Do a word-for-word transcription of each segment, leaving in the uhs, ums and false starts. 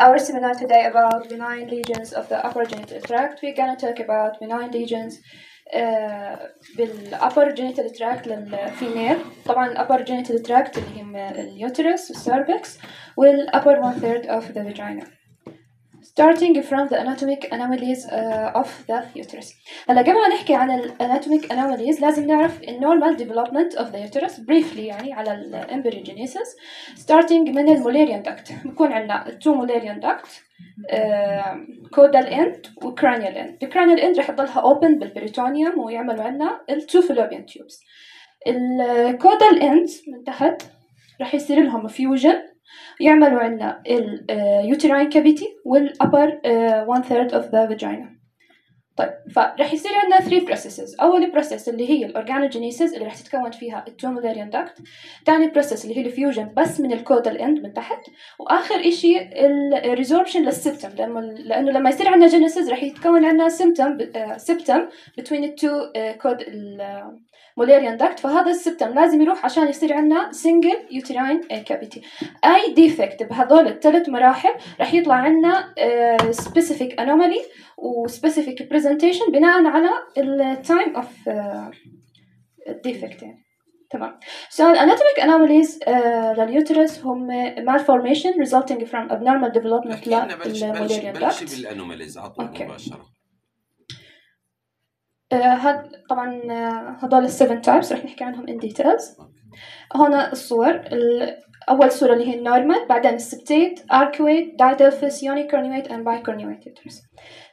our seminar today about benign lesions of the upper genital tract. We're gonna talk about benign lesions uh, بالupper genital tract للفيميل. طبعا upper genital tract اللي هم اليوترس والسيرفكس والupper one third of the vagina. Starting from the anatomic anomalies uh, of the uterus. هلا قبل ما نحكي عن ال anatomic anomalies لازم نعرف ال normal development of the uterus briefly يعني على ال embryogenesis. Starting من ال Mullerian duct. بكون عندنا two Mullerian duct uh, caudal end و cranial end. ال cranial end رح يضلها open بالperitoneum ويعملوا عندنا ال two fallopian tubes. ال caudal end من تحت رح يصير لهم fusion يعملوا عنا ال uh, uterine cavity وال upper uh, one third of the vagina. طيب فرح يصير عنا three processes. أول process اللي هي ال organogenesis اللي رح تتكون فيها ال two Mullerian duct. تاني process اللي هي ال fusion بس من ال caudal end من تحت. وآخر إشي ال resorption للسبتم لأنه لأنه لما يصير عنا genesis رح يتكون عنا symptom uh, septum between the two uh, caud uh, Mullerian duct. فهذا السبتم لازم يروح عشان يصير عنا single uterine cavity. أي defect بهذول الثلاث مراحل رح يطلع عنا uh, specific anomaly و specific presentation بناء على ال time of uh, defect يعني. تمام. So anatomic anomalies uh, لليوترس هم malformation resulting from abnormal development للموليريان duct. بلش بالانوماليز عطوا مباشرة. هاد طبعا هذول السفن تايبس رح نحكي عنهم in details. هنا الصور. أول صورة اللي هي النورمال، بعدين السبتيت، arcuate, didelphys, unicornuate and bicornuate uterus.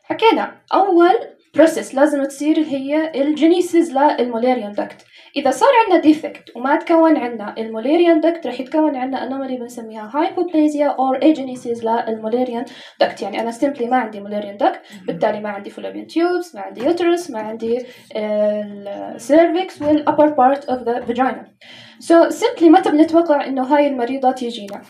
حكينا أول process لازم تصير هي الجينيسيس للموليريان duct. إذا صار عندنا defect وما تكون عندنا الموليريان duct رح يتكون عندنا anomaly بنسميها hypoplasia or agenesis للموليريان duct. يعني أنا simply ما عندي موليريان duct، بالتالي ما عندي fallopian tubes، ما عندي uterus، ما عندي cervix وال upper part of the vagina. So simply متى بنتوقع إنه هاي المريضة تيجينا؟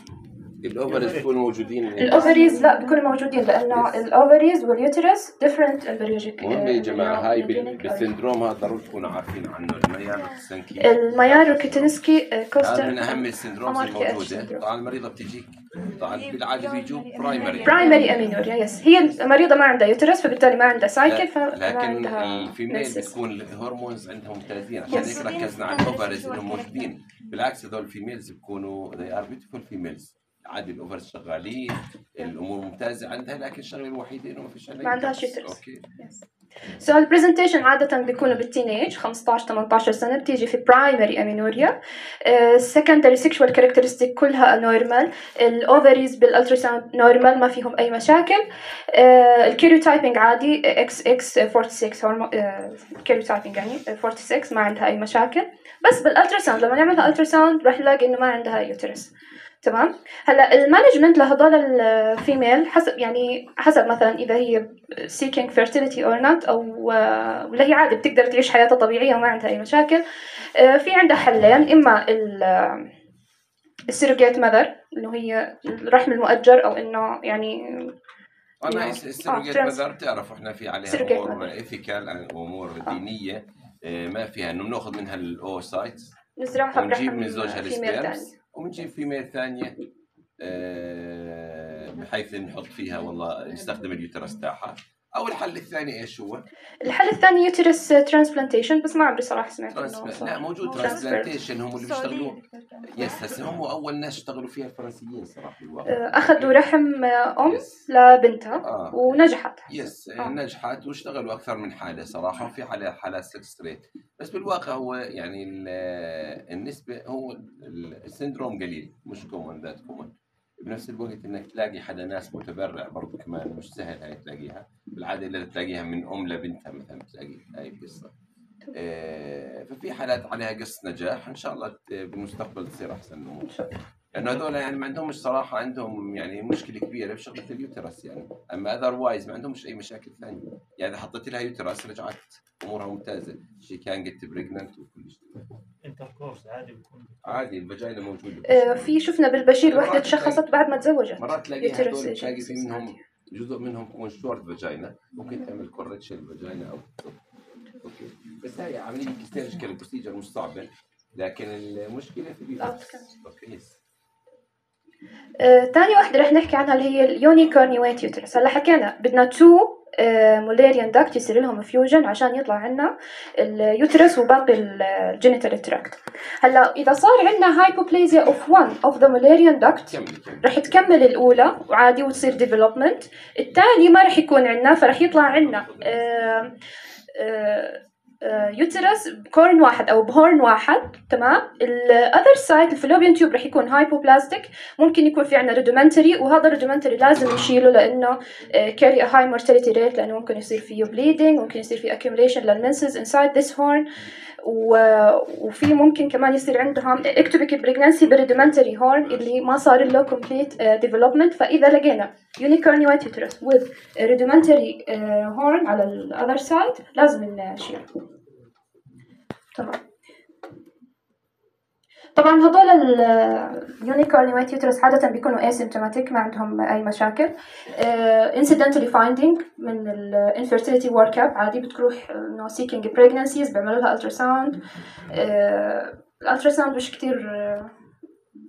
الأوفريز بيكونوا موجودين. الأوفريز لا بيكونوا موجودين لأنه الأوفريز واليوترس different embryologic. مهم يا جماعة هاي بالسندروم هذا ضروري تكونوا عارفين عنه الميار روكيتنسكي. الميار روكيتنسكي كوستر. هذا من أهم السندرومز الموجودة. طبعا المريضة بتجيك طبعا بالعادة بيجوا برايمري. برايمري أمينوريا يس. هي المريضة ما عندها يوترس فبالتالي ما عندها سايكل فما لكن الفيميل بتكون الهرمونز عندهم ممتازين عشان هيك ركزنا على الأوفريز إنهم موجودين. بالعكس هذول الفيميلز بيكونوا they are beautiful females. عادي الأوفرز شغالين الأمور ممتازة عندها لكن الشغلة الوحيدة إنه ما فيش ما عندهاش يوترس. أوكي. So البرزنتيشن عادة بيكونوا بالتينيج خمسطعش ثمانطعش سنة بتيجي في برايمري أمينوريا. secondary sexual characteristic كلها نورمال. الأوفريز بالألتراساوند نورمال ما فيهم أي مشاكل. الكيريوتايبنج عادي إكس إكس أربعة وستين هرمون كيريوتايبنج يعني أربعة وستين ما عندها أي مشاكل. بس بالألتراساوند لما نعملها ألتراساوند راح نلاقي إنه ما عندها يوترس. تمام. هلا المانجمنت لهذول الفيميل حسب يعني حسب مثلا اذا هي seeking fertility or not او ولا هي عادي بتقدر تعيش حياتها طبيعيه وما عندها اي مشاكل. في عندها حلين، اما السيروجيت ماذر انه هي الرحم المؤجر او انه يعني انا السيروجيت ماذر بتعرفوا احنا في عليها امور ايثيكال امور دينيه ما فيها انه بناخذ منها الاوسايت نزرعها ونجيب من زوجها السبيرمز ونجيب فيميل ثانية أه بحيث نحط فيها والله نستخدم اليوترس تاعها. أو الحل الثاني إيش هو؟ الحل الثاني يوترس ترانسبلانتيشن بس ما عمري صراحة سمعت ترانسبل... لا موجود ترانسبلانتيشن هم اللي بيشتغلوا يس هسه هم أول ناس اشتغلوا فيها الفرنسيين صراحة بالواقع. أخذوا رحم أم يس. لبنتها آه. ونجحت. يس آه. نجحت واشتغلوا أكثر من حالة صراحة وفي حالة حالات سكس ريت بس بالواقع هو يعني النسبة هو السندروم قليل مش كومن ذات كومن. بنفس الوقت انك تلاقي حدا ناس متبرع برضو كمان مش سهل هاي تلاقيها بالعاده الا تلاقيها من ام لبنتها مثلا تلاقي هاي القصه. آه ففي حالات عليها قصه نجاح ان شاء الله بالمستقبل تصير احسن الامور لانه هذول يعني ما عندهمش صراحه عندهم يعني مشكله كبيره بشغله اليوترس يعني اما اذروايز ما عندهمش اي مشاكل ثانيه يعني حطيت لها يوترس رجعت امورها ممتازه شي كان جت بريجننت وكل شيء. انتركورس عادي بيكون عادي الفاجينا موجوده. آه في شفنا بالبشير وحده تشخصت بعد ما تزوجت مرات تلاقي هذول تلاقي في منهم جزء منهم يكون شورت فاجينا ممكن تعمل كوركشن الفاجينا او اوكي بس هاي عمليه كيرجيكال بروسيجر مش صعبه لكن المشكله في الاوتكم. اوكي آه، تاني واحدة رح نحكي عنها اللي هي اليونيكورنيويت يوترس. هلا حكينا بدنا تو مولاريان داكت يصير لهم فيوجن عشان يطلع عنا اليوترس وباقي الجينيتال تراكت. هلا إذا صار عنا هايبوبليزيا of one of the Mullerian duct رح تكمل الأولى وعادي وتصير development. الثاني ما رح يكون عنا، فرح يطلع عنا آه آه يوترس بكورن واحد او بهورن واحد. تمام. الاذر سايد الفلوبيان تيوب رح يكون هايبوبلاستيك، ممكن يكون في عندنا ريدومنتري، وهذا الريدومنتري لازم نشيله لانه كاري هاي مورتاليتي ريت، لانه ممكن يصير فيه بليدنج، ممكن يصير فيه accumulation للمنسز انسايد ذس هورن، وفي ممكن كمان يصير عندهم اكتوبيك بريجنانسي بالريدومنتري هورن اللي ما صار له كومبليت ديفلوبمنت. فاذا لقينا يونيكورنيويت يوترس with ريدومنتري هورن على الاذر سايد لازم نشيله. تمام. طبعا هذول اليونيكورنيويت يوترس عادة بيكونوا اسيمتوماتيك، ما عندهم أي مشاكل. انسيدنتالي uh, فايندينج من الانفيرتيليتي ورك اب، عادي بتروح انه سيكينج بريجنانسيز بيعملوا لها التراساوند. الالتراساوند مش كتير uh,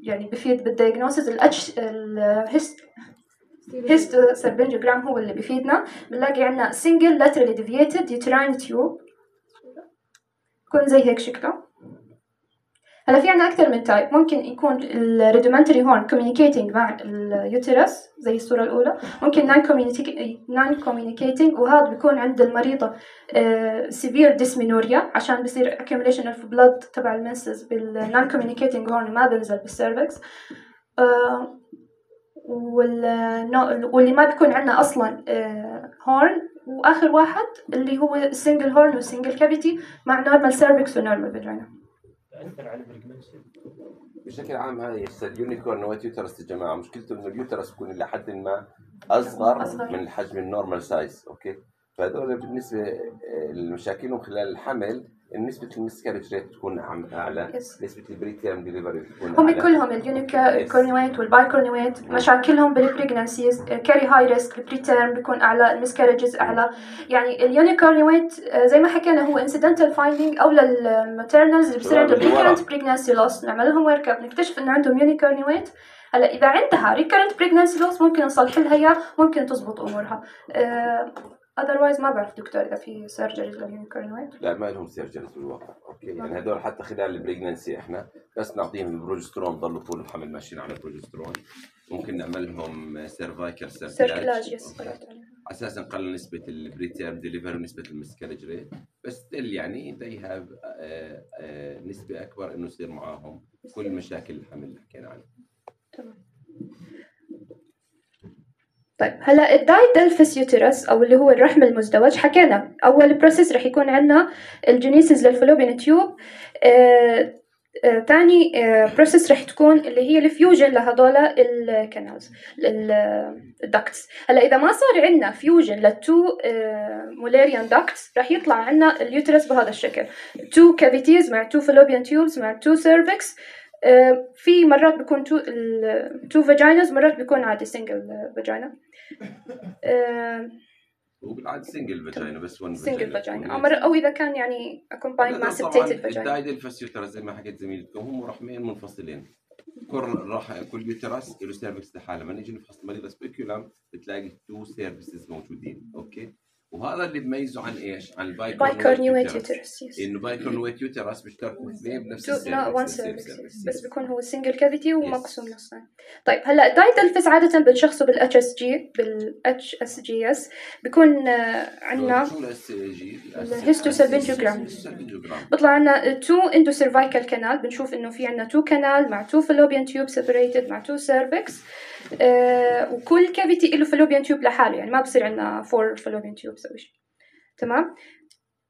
يعني بفيد بالدياجنوسيس. الاتش الهيست هيست سيربنجوجرام هو اللي بيفيدنا. بنلاقي عندنا سنجل لاترالي ديفييتد يوتراين تيوب يكون زي هيك شكله. هلا في عنا أكثر من تايب. ممكن يكون الريدومنتري هورن communicating مع اليوترس زي الصورة الأولى، ممكن non communicating، وهذا بيكون عند المريضة severe dysmenorrhea عشان بصير accumulation of blood تبع المنسز بالnon communicating هورن ما بنزل بالسيرفكس. واللي ما بيكون عنا أصلا هورن. وآخر واحد اللي هو single هورن و single cavity مع normal cervix و normal vagina. تأثر على البريجنانسي بشكل عام. هاي اليونيكورنيويت يوترس يا جماعه مشكلته انه اليوترس يكون الى حد ما اصغر, أصغر من الحجم النورمال سايز. اوكي. فهذول بالنسبه لمشاكلهم خلال الحمل نسبة المسكرج ريت تكون أعلى، yes. نسبة البريتيرم ديليفري تكون هم أعلى. كلهم اليونيكورنيويت والبايكورنيويت مشاكلهم بالبريجنانسيز كاري هاي ريسك، البريتيرم بيكون أعلى، المسكرجز أعلى. يعني اليونيكورنيويت زي ما حكينا هو انسيدنتال فايندينج أو للماتيرنالز اللي بصير عندهم ريكرنت بريجنانسي لوس، نعمل لهم ورك اب نكتشف إنه عندهم يونيكورنيويت. هلا إذا عندها ريكرنت بريجنانسي لوس ممكن نصلح لها إياه، ممكن تزبط أمورها. أه otherwise ما بعرف دكتور إذا في سيرجريز لليونيكورنيويت. لا ما لهم سيرجريز بالواقع. أوكي. يعني هذول حتى خلال البريجنانسي إحنا بس نعطيهم البروجسترون، ضلوا طول الحمل ماشيين على البروجسترون. ممكن نعمل لهم سيرفايكال سيركلاج أساساً نقلل نسبة البريتيرم ديليفري ونسبة المسكرج ريت، بس يعني they have نسبة أكبر إنه يصير معاهم كل مشاكل الحمل اللي حكينا عنها. تمام. طيب هلا الدايدلفس يوترس او اللي هو الرحم المزدوج، حكينا اول بروسيس رح يكون عندنا الجينيسيس للفلوبين تيوب. آه آه تاني آه بروسيس رح تكون اللي هي الفيوجن لهدول الكانالز الدكتس. هلا اذا ما صار عندنا فيوجن للتو آه مولاريان دكتس رح يطلع عندنا اليوترس بهذا الشكل، تو كافيتيز مع تو فلوبين تيوبز مع تو سيرفكس. Uh, في مرات بيكون تو تو فاجيناز، مرات بيكون عادي سنجل فاجينا. هو بالعاده سنجل فاجينا بس ون سنجل فاجينا، او او اذا كان يعني اكومباين مع سبتيتد فاجينا. الدايدلفس يوترس زي ما حكيت زميلتكم هم رحمين منفصلين، كل راح كل يوترس له سيرفكس لحاله. لما نيجي نفحص مريض سبيكولم بتلاقي تو سيرفيسز موجودين. اوكي. وهذا اللي بيميزه عن ايش؟ عن البايكورنيويت يوترس. انه بايكورنيويت يوترس بيشتركوا اثنين بنفس السيرفيس، بس بيكون هو سنجل كافيتي ومقسوم نصين. طيب هلا الدايدلفس عاده بنشخصه بالاتش اس جي بالاتش اس جي اس بيكون عندنا شو الاس جي الهيستوسالبنجوجرام. بيطلع عندنا تو اندو سيرفايكال كانال، بنشوف انه في عندنا تو كانال مع تو فالوبيان تيوب سيبريتد مع تو سيرفكس. آه وكل كافيتي له فالوبيان تيوب لحاله، يعني ما بصير عندنا فور فالوبيان تيوبس او شيء. تمام.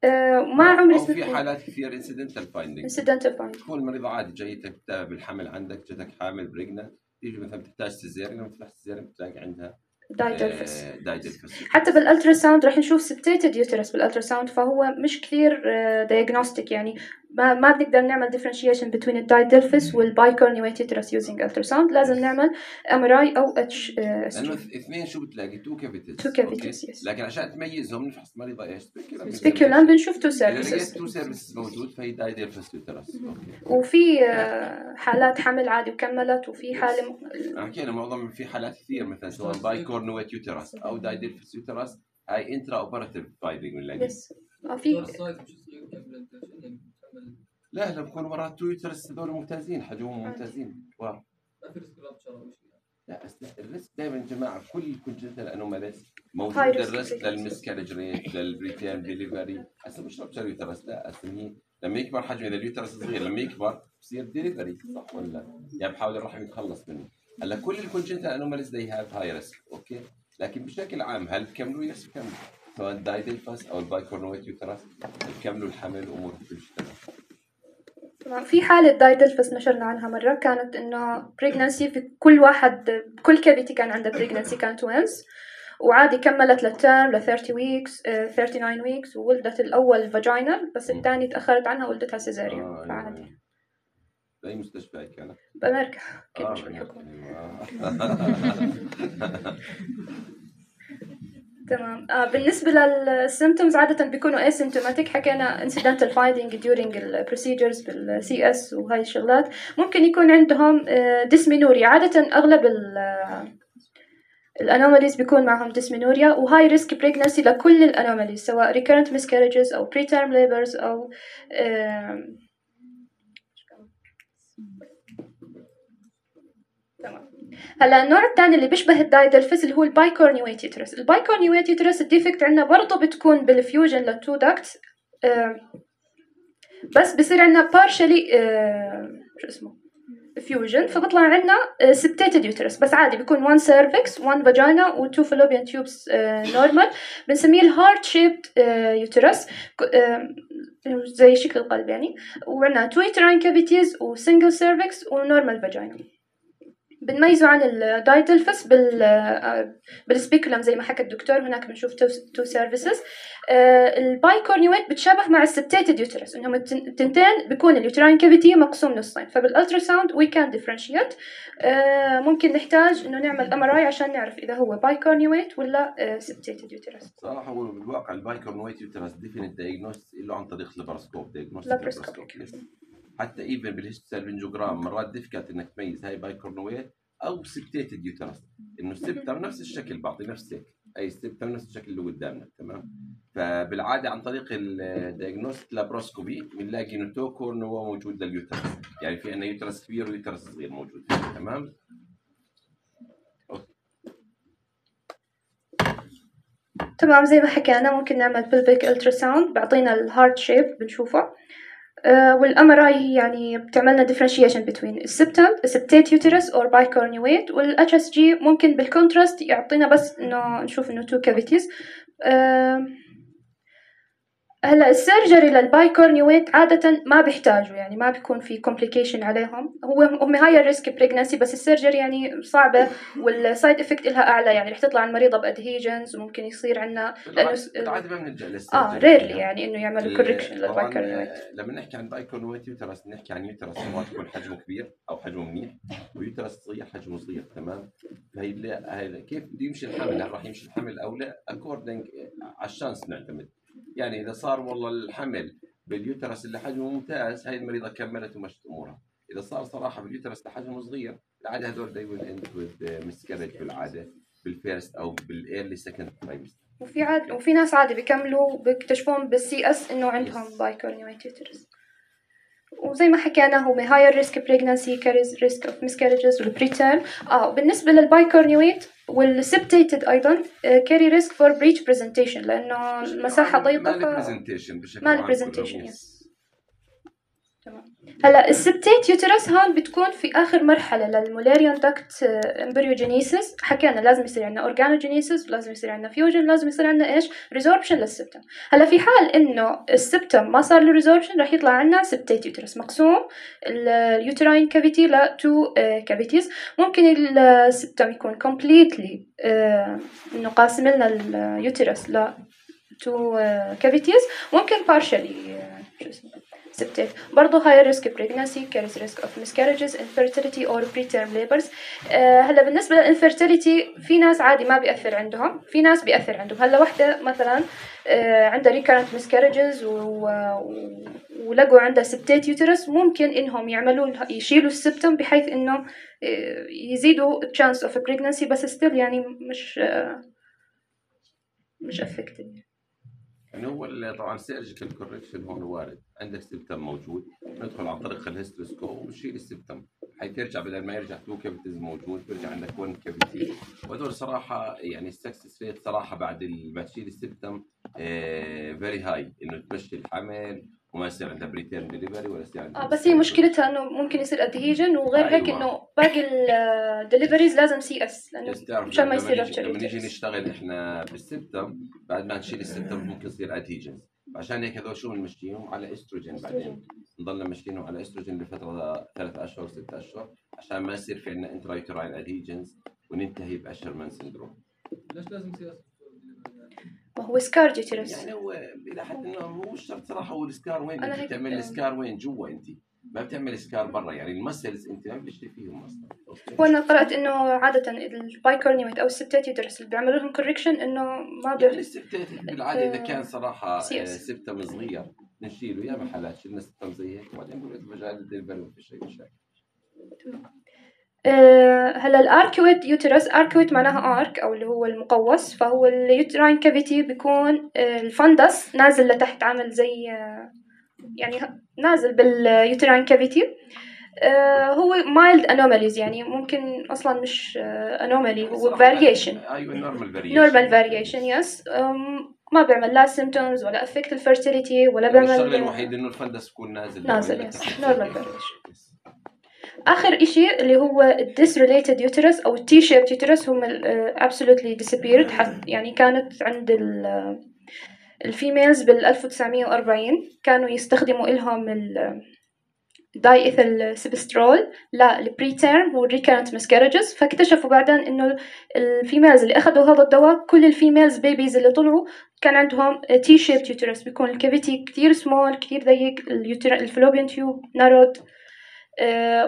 آه ما عمري سمعت في حالات كثير انسيدنتال فايندينج. انسيدنتال فايندينج تكون المريضه عادي جايتك بالحمل عندك، جاتك حامل بريجننت، تيجي مثلا بتحتاج سيزيريان، لما تفتح سيزيريان بتلاقي عندها دايدلفس. آه دايدلفس. حتى بالالترا ساوند راح نشوف سبتيتد يوترس بالالترا ساوند، فهو مش كثير دايجنوستيك، يعني ما ما بنقدر نعمل differentiation between الدايدلفس والبايكورنيويت يوترس using ultrasound. لازم نعمل إم آر آي أو اتش اس جي. لأنه اثنين شو بتلاقي تو كافيتيز. تو كافيتيز يس. لكن عشان تميزهم نفحص مريضة ايش؟ سبيكولم بنشوف تو إذا سيرفيسز. لقيت تو سيرفيسز موجود فهي دايدلفس يوترس. وفي حالات حمل عادي وكملت، وفي حالة حكينا معظم في حالات كثير مثلا سواء بايكورنويت يوترس أو دايدلفس يوترس هاي انترا اوبراتيف فايندينج بنلاقي. يس. في لا لا بكون مرات تو يوترس هذول ممتازين حجمهم ممتازين. واو. لا الريسك دائما يا جماعه كل كونجنتال انوماليز موجود الريسك للمسكارج ريت للبريتيرم ديليفري. هسه مش رابشر يوترس لا هسه هي لما يكبر حجم اذا اليوترس صغير لما يكبر بصير ديليفري صح ولا يعني بحاول الرحم يتخلص منه. هلا كل الكونجنتال انوماليز they have high risk اوكي لكن بشكل عام هل بكملوا يس بكملوا سواء دايدلفس او البايكورنويت يوترس بكملوا الحمل امور بتشتغل. في حالة دايدلفس نشرنا عنها مرة كانت إنه بريجنانسي في كل واحد كل كافيتي كان عنده بريجنانسي كان توينز وعادي كملت للتيرم ل ثلاثين ويكس ثلاثة وثلاثين ويكس وولدت الأول فاجينال بس الثاني تأخرت عنها ولدتها سيزاريان. آه فعادي. بأي مستشفى كانت؟ بأمريكا كيف آه مش بالحكومة. تمام. آه بالنسبة للسيمتومز عادة بيكونوا asymptomatic. حكينا incidental finding during ال procedures بال سي إس وهاي الشغلات. ممكن يكون عندهم dysmenorrhea. عادة أغلب ال الأنوماليز بيكون معهم dysmenorrhea و high risk pregnancy لكل الأنوماليز سواء recurrent miscarriages أو preterm labors أو تمام. هلا النوع الثاني اللي بيشبه الدايدلفس اللي هو البايكورنيويت يوترس. البايكورنيويت يوترس الديفكت عندنا برضه بتكون بالفيوجن للتو داكتس بس بصير عندنا partially شو اسمه فيوجن فبطلع عندنا septated uterus بس عادي بيكون one cervix one vagina و two fallopian tubes normal. بنسميه الهارت shaped uterus زي شكل القلب يعني. وعندنا two uterine cavities و single cervix و normal vagina. بنميزه عن الدايدلفس بال بالسبيكولم زي ما حكى الدكتور. هناك بنشوف تو سيرفيسز. البايكورنيويت بتشابه مع السبتيتد يوترس انهم التنتين بيكون اليوتراين كافيتي مقسوم نصين فبالالتراساوند وي كان ديفرنشيت. ممكن نحتاج انه نعمل ام ار اي عشان نعرف اذا هو بايكورنيويت ولا سبتيتد يوترس. صراحه هو بالواقع البايكورنيويت يوترس ديفينيت دايجنوست له عن طريق اللاباراسكوب دايجنوستيك حتى ايفن بالهيستوسالفنجوجرام مرات ديفيكالت انك تميز هاي بايكورنويت او سبتيتد يوترس انه السبتم نفس الشكل بعطي نفس هيك اي سبتم نفس الشكل اللي قدامنا تمام. فبالعاده عن طريق الدايجنوستيك لابروسكوبي بنلاقي انه تو كورنوا موجود لليوترس يعني في عندنا يوترس كبير ويوترس صغير موجود تمام. تمام زي ما حكينا ممكن نعمل بلبيك التراساوند بعطينا الهارت شيب بنشوفه. Uh, والام ار اي يعني بتعملنا differentiation between السبتم septate uterus or bicornuate والاتش اس جي ممكن بالكونتراست يعطينا بس انه نشوف انه two cavities. uh, هلا السيرجري للبايكورنيويت عادة ما بيحتاجوا يعني ما بيكون في complication عليهم. هو هم هاي الريسك بريجنانسي بس السيرجري يعني صعبة والسايد افكت لها اعلى يعني رح تطلع المريضة بادهيجنز وممكن يصير عندنا لانه بالعاده ما بنلجا للسيرجري اه ريرلي يعني انه يعملوا كوركشن للبايكورنيويت. لما نحكي عن بايكورنيويت يوترس بنحكي عن يوترس سواء يكون حجمه كبير او حجمه منيح ويوترس صغير حجمه صغير تمام. فهي هي كيف بده يمشي الحمل هل راح يمشي الحمل او لا اكوردنج على الشانس نعتمد يعني اذا صار والله الحمل باليوترس اللي حجمه ممتاز هاي المريضه كملت ومشت امورها. اذا صار صراحه باليوترس اللي حجمه صغير العاده هذول دايما اند وذ مسكرج بالعاده بالفيرست او بالايرلي سكند ترايمستر. وفي عاد وفي ناس عادي بيكملوا بيكتشفون بالسي اس انه عندهم بايكورنيويت يوترس. وزي ما حكينا هو higher risk pregnancy carries risk of miscarriages والبريتيرم. اه بالنسبه للبايكورنيويت والسبتيتد ايضا carry risk for breech presentation لانه المساحه ضيقه ما له برزنتيشن بشكل عام. ما له برزنتيشن تمام. هلا السبتيت يوترس هون بتكون في اخر مرحله للمولاريان داكت امبريوجينيسيس. حكينا لازم يصير عندنا اورجانوجينيسيس ولازم يصير عندنا فيوجن لازم يصير عندنا ايش ريزوربشن للسبتم. هلا في حال انه السبتم ما صار له ريزوربشن راح يطلع عندنا سبتيت يوترس مقسوم اليوتراين كافيتي لتو كافيتيز. ممكن السبتم يكون كومبليتلي انه قاسم لنا اليوترس ل تو كافيتيز ممكن بارشلي شو اسمه ستات. برضه higher risk pregnancy carries risk of miscarriages, infertility or preterm labors. آه هلا بالنسبة للinfertility في ناس عادي ما بيأثر عندهم، في ناس بيأثر عندهم. هلا وحدة مثلا آه عندها recurrent miscarriages و... و... ولقوا عندها ستات يوترس، ممكن إنهم يعملوا يشيلوا السبتم بحيث إنه آه يزيدوا chance of pregnancy، بس still يعني مش آه مش affected. يعني هو طبعا سيرجيكال كوركشن هون وارد، عندك سبتم موجود ندخل عن طريق الهيستروسكوب ونشيل السبتم حيث يرجع، بدل ما يرجع تو كافيتيز موجود بيرجع عندك ون كافيتي. وهذول صراحه يعني السكسس ريت صراحه بعد ما تشيل السبتم فيري هاي، انه تمشي الحمل وما يصير عندها بريتيرم ديليفري ولا يصير عندها اه بس هي مشكلتها انه ممكن يصير ادهيجن، وغير أيوة. هيك انه باقي الدليفريز لازم سي اس لانه مشان ما يصير رابتشر. لما نيجي نشتغل احنا بالسبتم بعد ما نشيل السبتم ممكن يصير ادهيجنز، عشان هيك هذول شو بنمشيهم على استروجين، بعدين نضلنا ماشيينهم على استروجين لفتره ثلاث اشهر ست اشهر عشان ما يصير في عندنا انترايتراين ادهيجنز وننتهي باشرمان سندروم. ليش لازم سي اس؟ ما هو سكار يوترس يعني هو الى حد انه هو مش شرط صراحه. هو السكار وين انت بتعمل السكار وين جوا، انت ما بتعمل سكار برا، يعني المسلز انت ما بتشتري فيهم اصلا. وانا قرات انه عاده البايكورنيميت او السبتات يدرس اللي بيعملوا لهم كوركشن انه ما يعني السبتات بالعاده اذا كان صراحه سبتم صغير نشيله، يا محلات شلنا سبتم زي هيك وبعدين بنقول مجال الدليفري ما فيش اي مشاكل. أه هلا الاركويت يوترس، اركويت معناها ارك او اللي هو المقوس، فهو اليوتراين كافيتي بيكون أه الفندس نازل لتحت عامل زي أه يعني نازل باليوتراين كافيتي. أه هو mild anomalies يعني ممكن اصلا مش انومالي، هو variation. ايوه normal variation. normal variation yes. ما بيعمل لا symptoms ولا affect الfertility ولا بيعمل. الشغله الوحيد انه الفندس يكون نازل نازل yes. normal variation. آخر إشي اللي هو disrelated uterus أو T-shaped uterus هم absolutely disappeared. يعني كانت عند الفيميلز بال ألف وتسعمية وأربعين كانوا يستخدموا إلهم ال diethyl سبسترول للبريتيرم والrecurrent miscarriages، فاكتشفوا بعدين إنه الفيميلز اللي أخذوا هذا الدواء كل الفيميلز بيبيز اللي طلعوا كان عندهم T-shaped uterus، بيكون الكافيتي كتير small كتير ضيق، الفلوبيان تيوب narrowed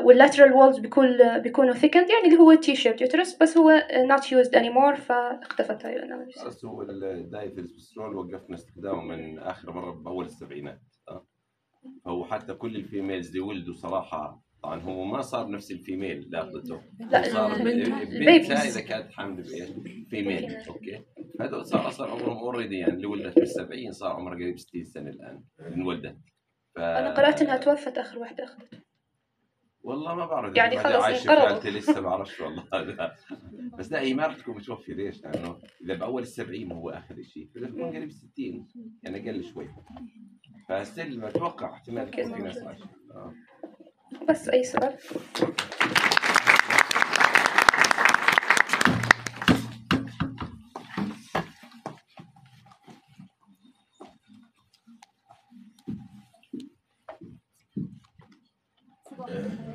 واللاترال وولز بيكون بيكونوا ثيكند، يعني اللي هو تي شيبت يوترس، بس هو not used anymore فاختفت هاي الاناليسيس. بس هو الدايثيلسبسترول وقفنا استخدامه من اخر مره باول السبعينات. هو حتى كل الفيميلز اللي ولدوا صراحه طبعا هو ما صار نفس الفيميل لاخذته، صار بنتها اذا كانت حامل بايش فيميل اوكي، هذول صار اصلا عمرهم اوريدي يعني اللي ولدت بالسبعين صار عمرها قريب ستين سنه الان انولدت. ف... انا قرات انها توفت اخر واحده اخذت. والله ما بعرف يعني خلص انقرضت لسه ما بعرفش والله هذا بس لا هي ما رح تكون متوفيه. ليش؟ لانه اذا باول السبعين هو اخر شيء فاذا تكون قريب ستين يعني اقل شوي، فستيل ما اتوقع احتمال تكون في ناس عايشه. آه. بس اي سؤال؟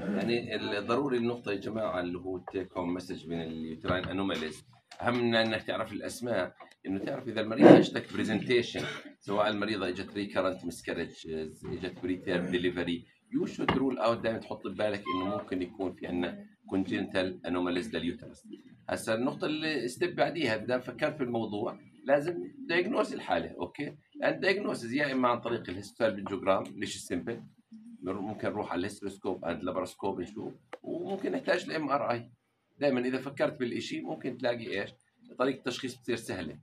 يعني الضروري النقطة يا جماعة اللي هو التيك هوم مسج من اليوتراين انوماليز، أهم من أنك تعرف الأسماء إنه تعرف إذا المريض اجتك بريزنتيشن، سواء المريضة اجت ريكارنت مسكرج اجت بريتيرم ديليفري، يو شود رول أوت دائما تحط ببالك إنه ممكن يكون في عندنا كونجنتال انوماليز لليوترس. هسا النقطة اللي ستيب بعديها إذا فكرت في الموضوع لازم دايجنوز الحالة، أوكي؟ لأن دايجنوز يا إما عن طريق الهيستوبنجوجرام ليش السيمبل، ممكن نروح على الهيستروسكوب اند لاباروسكوب نشوف، وممكن نحتاج الام ار اي. دائما اذا فكرت بالشيء ممكن تلاقي ايش طريقه التشخيص بتصير سهله،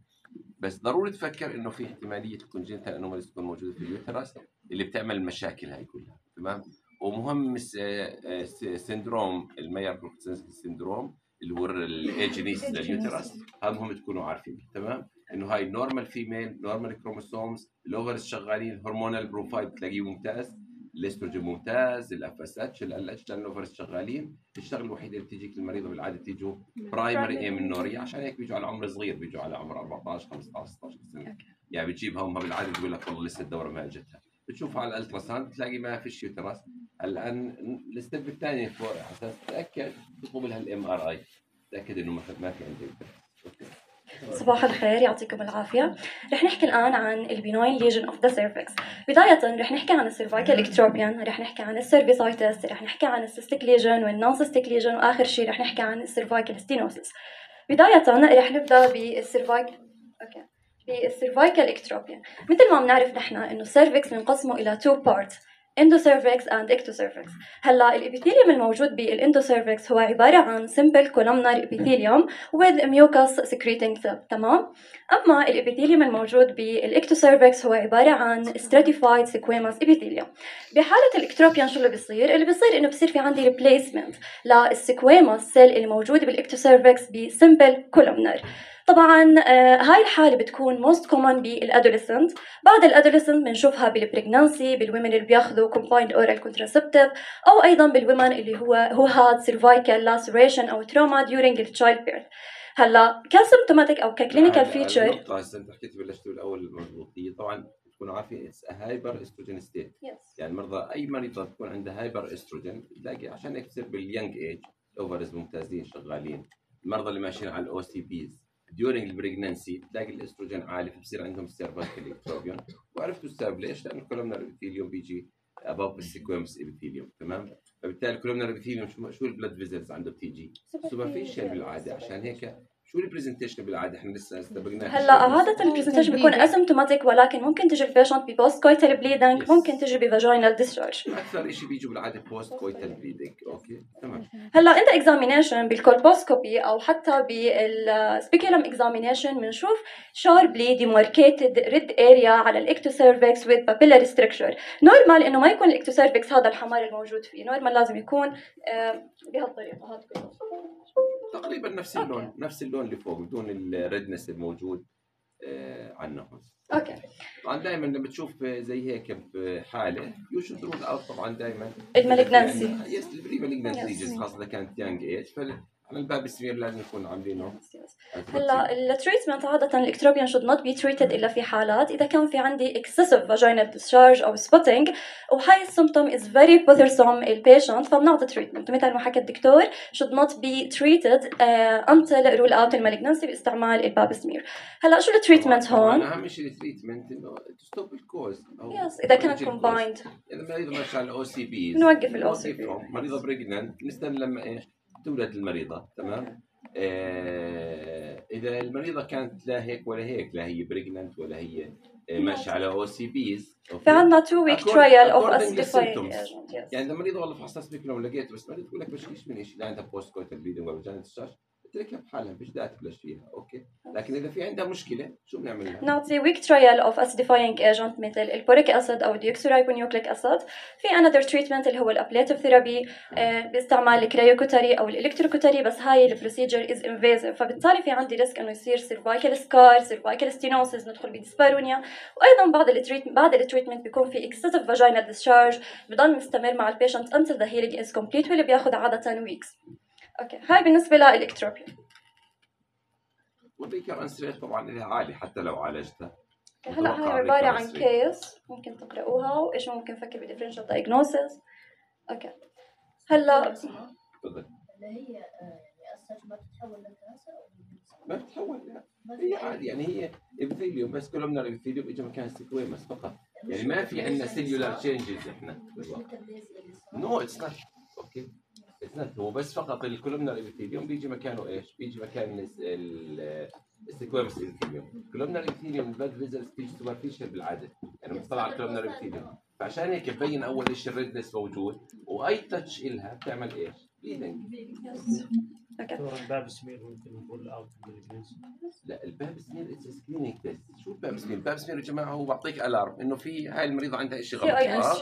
بس ضروري تفكر انه في احتماليه الكونجنتال انوماليز تكون موجوده في اليوترس اللي بتعمل المشاكل هاي كلها. تمام. ومهم سندروم الماير سندروم اللي هو الايجينيس لليوترس، هذا مهم تكونوا عارفين. تمام. انه هاي نورمال فيميل نورمال كروموسومز، الاوفرز شغالين، الهرمونال بروفايل بتلاقيه ممتاز، الاستروجين ممتاز، الاف اس اتش ال اتش الاوفرز شغالين. الشغله الوحيده اللي بتجيك المريضه بالعاده تيجوا برايمري امنوريا، عشان هيك بيجوا على عمر صغير، بيجوا على عمر أربعطعش خمسطعش ستطعش سنه، يعني بتجيبها امها بالعاده تقول لك والله لسه الدوره ما اجتها، بتشوفها على الالتراساوند تلاقي ما فيش يوترس. الان الستيب الثاني على اساس تتاكد تطلب لها الام ار اي، تاكد انه ما في عندك. اوكي صباح الخير، يعطيكم العافية. رح نحكي الآن عن البيناين ليجن اوف ذا سيرفكس. بداية رح نحكي عن السيرفايكال اكتروبيان، رح نحكي عن السيرفيسايتس، رح نحكي عن السيستيك ليجن والنون سيستيك ليجن، وآخر شيء رح نحكي عن السيرفايكال ستينوسيس. بداية رح نبدأ بالسيرفايكال اوكي بالسيرفايكال اكتروبيان. مثل ما بنعرف نحن إنه السيرفكس بنقسمه إلى two parts endocervix and ectocervix. هلا الابيثيليوم الموجود بالاندوسيرفكس هو عباره عن simple columnar epithelium with mucus secreting cell، تمام. اما الابيثيليوم الموجود بالاكتوسيرفكس هو عباره عن stratified squamous epithelium. بحاله الاكتروبيان شو اللي بيصير؟ اللي بيصير انه بصير في عندي replacement للسكويموس سيل اللي موجوده بالاكتوسيرفكس بسمبل columnar. طبعا آه هاي الحالة بتكون most common بالادوليسنت. بعد الادوليسنت بنشوفها بالبريجنانسي، بالومن اللي بياخذوا combined oral contraceptive، او ايضا بالومن اللي هو who had cervical laceration او trauma during the childbirth. هلا كسيمتوماتيك او ككلينيكال فيتشر. النقطة هسه انت حكيت بلشتوا الاول المضبوطية، طبعا تكونوا عارفين اتس هايبر استروجين ستيت. يعني مرضى اي مريضة تكون عندها هايبر استروجين تلاقي عشان هيك تصير باليونج ايج الاوفرز ممتازين شغالين. المرضى اللي ماشيين على الاو سي بيز during البريجنانسي تلاقي الاستروجين عالي فبصير عندهم السيرفايكال اكتروبيون. وعرفتوا السبب ليش؟ لأن الكولومنر ابيثيليوم بيجي above السيكويمس ابيثيليوم، تمام؟ فبالتالي الكولومنر ابيثيليوم شو شو البلاد فيزلز عنده بتيجي سوبرفيشال بالعاده. عشان هيك شو البرزنتيشن بالعاده احنا لسه استبقناش. هلا عاده البرزنتيشن بيكون اسيمتوماتيك، ولكن ممكن تجي البيشنت ببوست كويتال بليدنج، ممكن تجي بفاجينال ديسشارج. اكثر شيء بيجوا بالعاده بوست كويتال بليدنج. اوكي تمام. هلا انت اكزامينيشن بالكولبوسكوبي او حتى بالسبيكولم اكزامينيشن بنشوف شاربلي ديماركيتد ريد اريا على الاكتوسيرفكس وذ بابيلاري ستراكشر. نورمال انه ما يكون الاكتوسيرفكس هذا الحمار الموجود فيه، نورمال لازم يكون بهالطريقه هذا تقريبا نفس اللون، نفس اللون اللي فوق بدون الريدنس الموجود آه عنه. اوكي. طبعا دائما لما بتشوف زي هيك بحاله يو شود رول اوت طبعا دائما المالجنسي. يس البري مالجنسي خاصه اذا كانت يانج ايج، على الباب السمير لازم نكون عاملينه. هلا التريتمنت عاده الاكتروبيان should not be treated الا في حالات اذا كان في عندي excessive vaginal discharge او spotting وهاي السيمبتوم is very bothersome البيشنت، فبنعطي تريتمنت مثل ما حكى الدكتور should not be treated uh, until rule out المالجنسي باستعمال الباب سمير. هلا شو التريتمنت هون؟ اهم شيء التريتمنت انه to stop الكوز. يس اذا كانت combined. اذا مريضه ماشيه على الاو سي بي نوقف الاو سي بي. مريضه بريجننت نستنى لما ايش؟ تولد المريضة، تمام؟ آه إذا المريضة كانت لا هيك ولا هيك، لا هي بريجننت ولا هي آه ماشية على أو سي بيز. في عندنا تو ويك ترايل أوف أسيديفاينج ايجنت. يعني إذا المريضة والله فحصتها سبيكولوم لقيت بس مريضة تقول لك بشكيش من شيء، لا عندها بوست كويتال بليدنج ولا جانت الشاش، تركها بحالها مفيش داعي تبلش فيها، اوكي؟ لكن اذا في عندها مشكله شو بنعمل لها؟ نعطي ويك ترايل اوف اسيديفاينج ايجنت مثل البوريك اسيد او ديوكسيرايبونيوكليك اسيد. في انذر تريتمنت اللي هو الابليتيف ثيرابي آه باستعمال الكريوكوتري او الالكتروكوتري، بس هاي البروسيجر از انفيزيف، فبالتالي في عندي ريسك انه يصير سيرفايكال سكار، سيرفايكال ستينوسيس، ندخل بديسبارونيا. وايضا بعد التريتمنت بعد التريتمنت بيكون في اكسسيف فاجينال ديسشارج بضل مستمر مع البيشنت until the healing is complete واللي بياخذ عاده ويكس. اوكي هاي بالنسبه للاكتروبيا. والريكرنس ريت طبعا لها عالي حتى لو عالجتها. هلا هاي عباره عن كيس ممكن تقراوها وايش ممكن نفكر بالديفرنشال دايجنوسيس. اوكي هلا تفضل. اللي هي يعني اساس ما تتحول لكانسر ما بتتحول، لا هي عادي يعني هي ابيثيليوم بس كولومنر ابيثيليوم اجى مكان سيكويمس فقط، يعني ما في عندنا سيلولار تشينجز احنا بالواقع. نو اتس نوت اوكي اتس نوت، هو بس فقط الكولومنر ابيثيليوم بيجي مكانه ايش؟ بيجي مكان السيكويمس ابيثيليوم. الكولومنر ابيثيليوم البلاد فيزلز بتيجي سوبرفيشال بالعاده، يعني بتطلع على الكولومنر ابيثيليوم، فعشان هيك ببين اول شيء الريدنس موجود واي تاتش الها بتعمل ايش؟ بليدنج. الباب سمير ممكن نقول اوت بالانجليزي. لا الباب سمير اتس سكرينينج تيست. شو الباب سمير؟ الباب سمير يا جماعه هو بعطيك الارم انه في هاي المريضه عندها شيء غلط.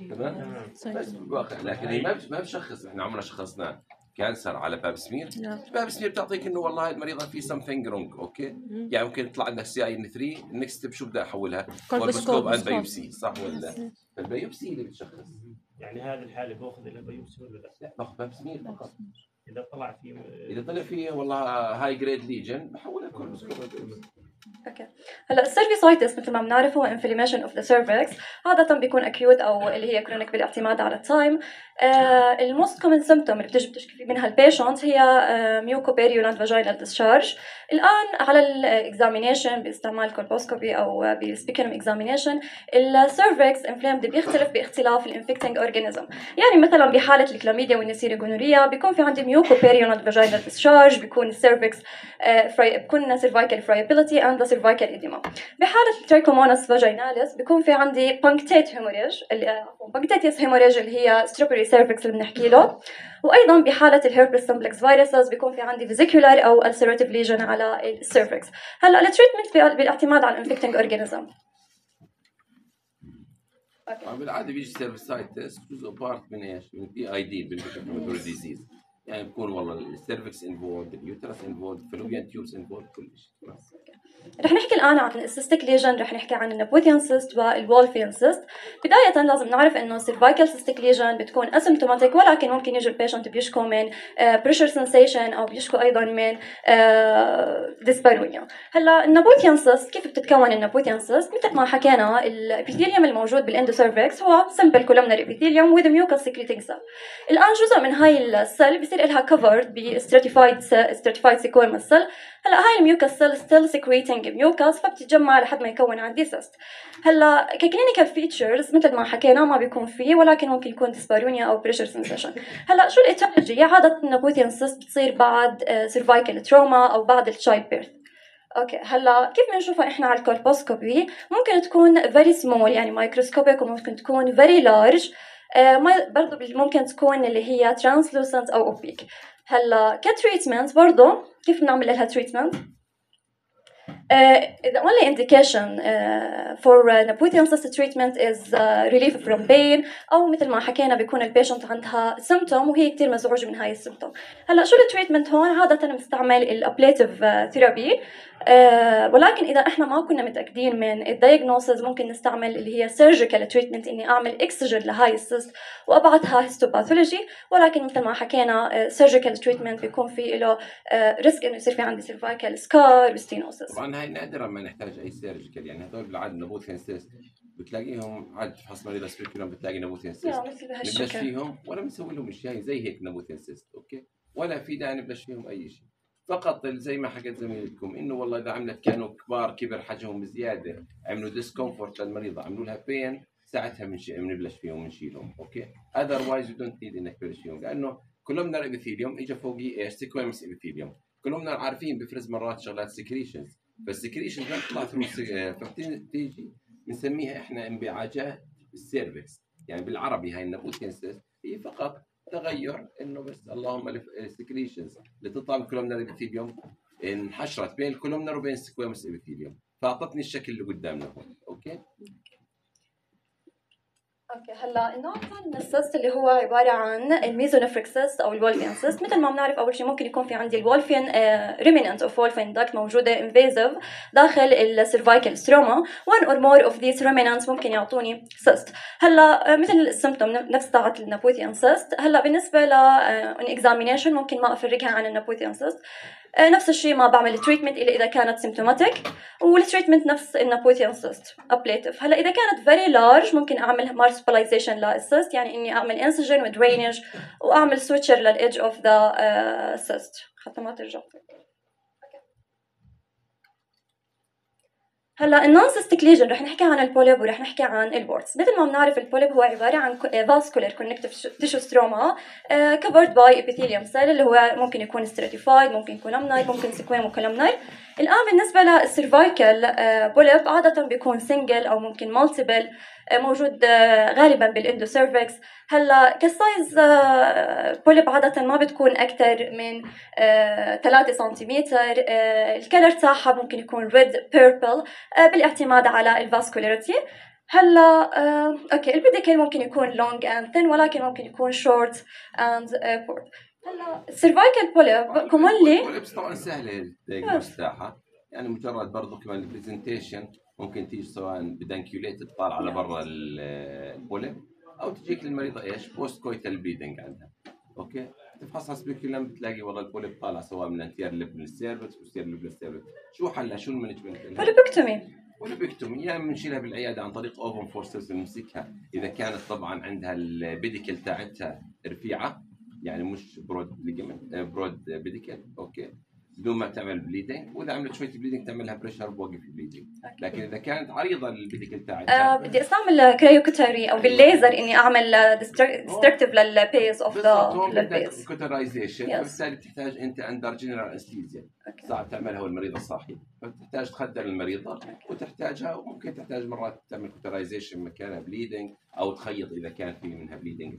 تمام بس بالواقع لكن هي ما ما بشخص. احنا عمرنا شخصنا كانسر على باب سمير. باب سمير بتعطيك انه والله هاي المريضه في something wrong. اوكي يعني ممكن يطلع عندك سي اي ان ثلاثة، النكست ستيب شو بدي احولها؟ كولبوسكوب اند بايوبسي، صح ولا لا؟ فالبايوبسي اللي بتشخص. يعني هذه الحاله باخذ الى بايوبسي ولا لا؟ لا باخذ باب سمير فقط. اذا طلع فيه اذا طلع فيه والله هاي جريد ليجن بحولها كولبوسكوب. اوكي هلا السيرفيسايتس مثل ما بنعرف هو انفلاميشن اوف ذا سيرفكس، عاده بيكون اكيوت او اللي هي كرونيك بالاعتماد على التايم. الموست كومن سيمبتوم اللي بتجي بتشكي منها البيشنت هي ميوكوبيريولانت فاجينال ديسشارج. الان على الاكزامينيشن باستعمال كولبوسكوبي او بالسبيكولوم اكزامينيشن السيرفكس انفلامد بيختلف باختلاف الانفكتنج اورجانيزم. يعني مثلا بحاله الكلاميديا والنسيريا جونوريا بيكون في عندي ميوكوبيريولانت فاجينال ديسشارج، بيكون السيرفكس فري بيكون سيرفايكال فرايبيليتي اند سيرفايكال إديما. بحالة التريكوموناس فاجيناليس بيكون في عندي بانكتيت هيموريج اللي بانكتيتيس هيموريج اللي هي ستروبري سيرفكس اللي بنحكي له. وايضا بحالة الهيربس سمبلكس فيروسز بيكون في عندي فيزيكولار او ulcerative ليجن على السيرفكس. هلا التريتمنت بالاعتماد على الانفكتنج اورجانيزم. بالعاده بيجي سيرفيسايتس جزء بارت من ايش؟ من بي اي دي بالانفكتيف ديزيز. يعني بكون والله السيرفكس انفولد، اليوترس انفولد، فلوبيان تيوبس انفولد، كل شيء. رح نحكي الآن عن السيستيك ليجن، رح نحكي عن النابوثيان سيست والوولفيان سيست. بداية لازم نعرف إنه السيرفايكال سيستيك ليجن بتكون اسيمتوماتيك، ولكن ممكن يجي البيشنت بيشكو من بريشر سنسيشن أو بيشكو أيضا من ديسبارونيا. هلا النابوثيان سيست كيف بتتكون؟ النابوثيان سيست مثل ما حكينا الابيثيليوم الموجود بالاندوسيرفكس هو سمبل كولومنر ابيثيليوم وذ ميوكس سكريتنج سيل. الآن جزء من هاي السيل بيصير لها كفرد بستراتيفايد ستراتيفايد سيكويرما سيل. هلا هاي الميوكس سيل ستيل سكريتنج ميوكس فبتتجمع لحد ما يكون عندي سيست. هلا ككلينيكال فيتشرز مثل ما حكينا ما بيكون فيه، ولكن ممكن يكون ديسبارونيا او بريشر سنسيشن. هلا شو الايتيولوجي؟ عاده النابوثيان سيست بتصير بعد سيرفايكال تروما او بعد التشايلد بيرث. اوكي هلا كيف بنشوفها احنا على الكولبوسكوبي؟ ممكن تكون فيري سمول يعني مايكروسكوبيك، وممكن تكون فيري لارج، برضه ممكن تكون اللي هي ترانسلوسنت او اوبيك. هلا كتريتمنت برضه كيف بنعمل لها تريتمنت؟ Uh, the only indication uh, for uh, Naputhian cyst treatment is uh, relief from pain، أو مثل ما حكينا بيكون البيشنت عندها symptom وهي كتير مزعوجة من هاي السيمتوم. هلا شو التريتمنت هون؟ عادة بنستعمل الابليتيف ثيرابي، uh, ولكن إذا إحنا ما كنا متأكدين من الدايجنوسز ممكن نستعمل اللي هي surgical treatment، إني أعمل إكسجن لهاي السيست وأبعتها هيستوباثولوجي. ولكن مثل ما حكينا uh, surgical treatment بيكون في له ريسك uh, إنه يصير في عندي cervical scar وستينوسس. طبعا هاي نادرا ما نحتاج اي سيرجيكال، يعني هذول بالعاده نابوثيان سيست بتلاقيهم عاد تفحص مريض سبيكولوم بتلاقي نابوثيان سيست نبلش فيهم ولا بنسوي لهم شيء زي هيك نابوثيان سيست، اوكي، ولا في داعي نبلش فيهم اي شيء. فقط زي ما حكيت زميلتكم انه والله اذا عملت كانوا كبار كبر حجمهم بزياده عملوا ديسكومفورت للمريضه عملوا لها بين، ساعتها بنبلش فيهم ونشيلهم، اوكي. اذروايز يو دونت نيد انك تبلش فيهم، لانه كولومنر ابيثيليوم اجى فوقيه ايش؟ سيكويمس ابيثيليوم. كولومنر عارفين بفرز مرات شغلات سكريشنز، فالسكريشن ما بتطلع ثرو فبتيجي بنسميها احنا انبعاجات السيرفكس. يعني بالعربي هاي النابوثيان سيست هي فقط تغير انه بس اللهم السكريشنز اللي تطلع من الكولومنر ابيثيليوم انحشرت بين الكولومنر وبين السكويمس ابيثيليوم فاعطتني الشكل اللي قدامنا هون، اوكي. اوكي هلا النوع الثاني من السيست اللي هو عباره عن الميزونيفريك سيست او الولفيان سيست. مثل ما بنعرف اول شيء ممكن يكون في عندي الولفيان ريميننت اوف ولفين داكت موجوده انفيزيف داخل السيرفايكال ستروما. one or more of these remnants ممكن يعطوني سيست. هلا مثل السيمبتوم نفس تاعت النابوثيان سيست. هلا بالنسبه ل اكزامينيشن ممكن ما افرقها عن النابوثيان سيست. نفس الشيء ما بعمل تريتمنت الا اذا كانت سيمبتوماتيك، والتريتمنت نفس النابوثيان سيست ابليتيف. هلا اذا كانت فيري لارج ممكن اعمل مارسبلايزيشن للسيست، يعني اني اعمل انسجن ودرينج واعمل سويتشر للايدج اوف ذا سيست حتى ما ترجع. هلا النون سيستيك ليجن رح نحكي عن البوليب ورح نحكي عن البورتس. مثل ما بنعرف البوليب هو عباره عن فاسكولار كونكتيف تيشو ستروما كفرد باي ابيثيليوم سيل اللي هو ممكن يكون ستراتيفايد، ممكن كولومناي، ممكن سيكويمو كولومناي. الان بالنسبه للسيرفايكال بوليب عاده بيكون سنجل او ممكن مالتيبل، موجود غالبا بالاندوسيرفكس. هلا كسايز بوليب عاده ما بتكون اكثر من ثلاثة سنتيمتر. الكلر تاعها ممكن يكون ريد بيربل بالاعتماد على الفاسكولاريتي. هلا اوكي البيديكل ممكن يكون لونج اند ثين، ولكن ممكن يكون شورت اند بورد. هلا السيرفايكال بوليب كومونلي البوليبس طبعا سهله الدايجنوز تاعها، يعني مجرد برضه كمان البرزنتيشن ممكن تيجي سواء بدانكيوليت تطلع على برا البوليب او تجيك للمريضه ايش؟ بوست كويتال بليدنج عندها، اوكي. تفحصها سبيكولم بتلاقي والله البوليب طالع سواء من انتير لب من السيرفكس وسير لب للسيرفكس. شو حلها؟ شو المانجمنت؟ بوليبكتومي. بوليبكتومي يا يعني بنشيلها بالعياده عن طريق اوفن فورسز بنمسكها اذا كانت طبعا عندها البيديكل تاعتها رفيعه يعني مش برود ليجمنت برود بيديكل اوكي بدون ما تعمل بليدنج، واذا عملت شويه بليدنج تعملها بريشر بوقف البليدنج. لكن اذا كانت عريضه البيديكل تاعتها آه بدي استعمل كريوكوتري او بالليزر اني اعمل ديستركتيف للبيز اوف ذا للبيز كوترايزيشن، وبالتالي بتحتاج انت اندر جنرال انستيزيا صعب تعملها والمريض الصاحي، فبتحتاج تخدر المريضه وتحتاجها، وممكن تحتاج مرات تعمل كوترايزيشن مكانها بليدنج او تخيط اذا كان في منها بليدنج.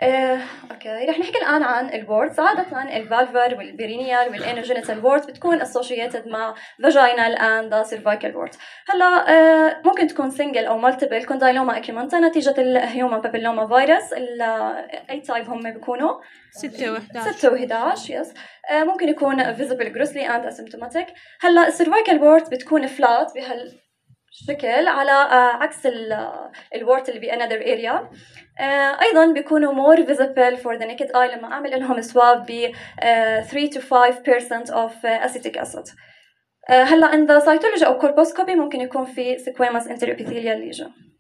آه، اوكي رح نحكي الان عن الورد. عاده الفالفر والبيرينيال والانوجينيتال وورد بتكون associated مع vaginal and cervical word. هلا آه، ممكن تكون single او multiple condyloma acuminata نتيجه الهيومن بابيلوما فيروس. اي تايب هم بيكونوا ستة وإحدى عشر ستة وإحدى عشر يس. آه، ممكن يكون visible grossly and asymptomatic. هلا السيرفايكال وورد بتكون فلات بهال شكل على عكس الورت اللي بأنذر اريا. ايضا بيكونوا more visible for the naked eye لما اعمل لهم سواب ب three to five percent of acetic acid. هلا in the cytology او colposcopy ممكن يكون في squamous interepithelial lesion.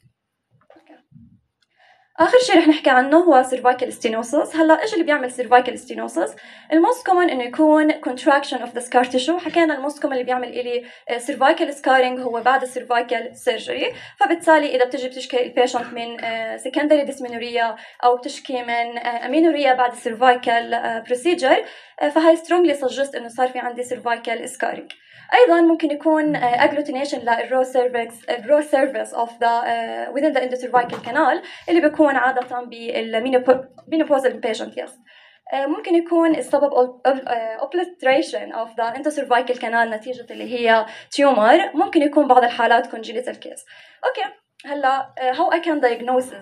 آخر شيء رح نحكي عنه هو cervical stenosis. هلا إيش اللي بيعمل cervical stenosis؟ الموست كومن إنه يكون contraction of the scar tissue. حكينا الموست كومن اللي بيعمل إلي cervical scarring هو بعد cervical surgery. فبالتالي إذا بتجي بتشكي البيشنت من secondary dysmenorrhea أو بتشكي من amenorrhea بعد cervical procedure، فهي strongly suggest إنه صار في عندي cervical scarring. أيضاً ممكن يكون agglutination للرو cervix الرو surface of the uh, within the endocervical canal اللي بيكون عادة بالmenopausal patient. yes. ممكن يكون السبب obliteration of the endocervical canal نتيجة اللي هي tumor. ممكن يكون بعض الحالات congenital case. أوكي هلا how I can diagnose the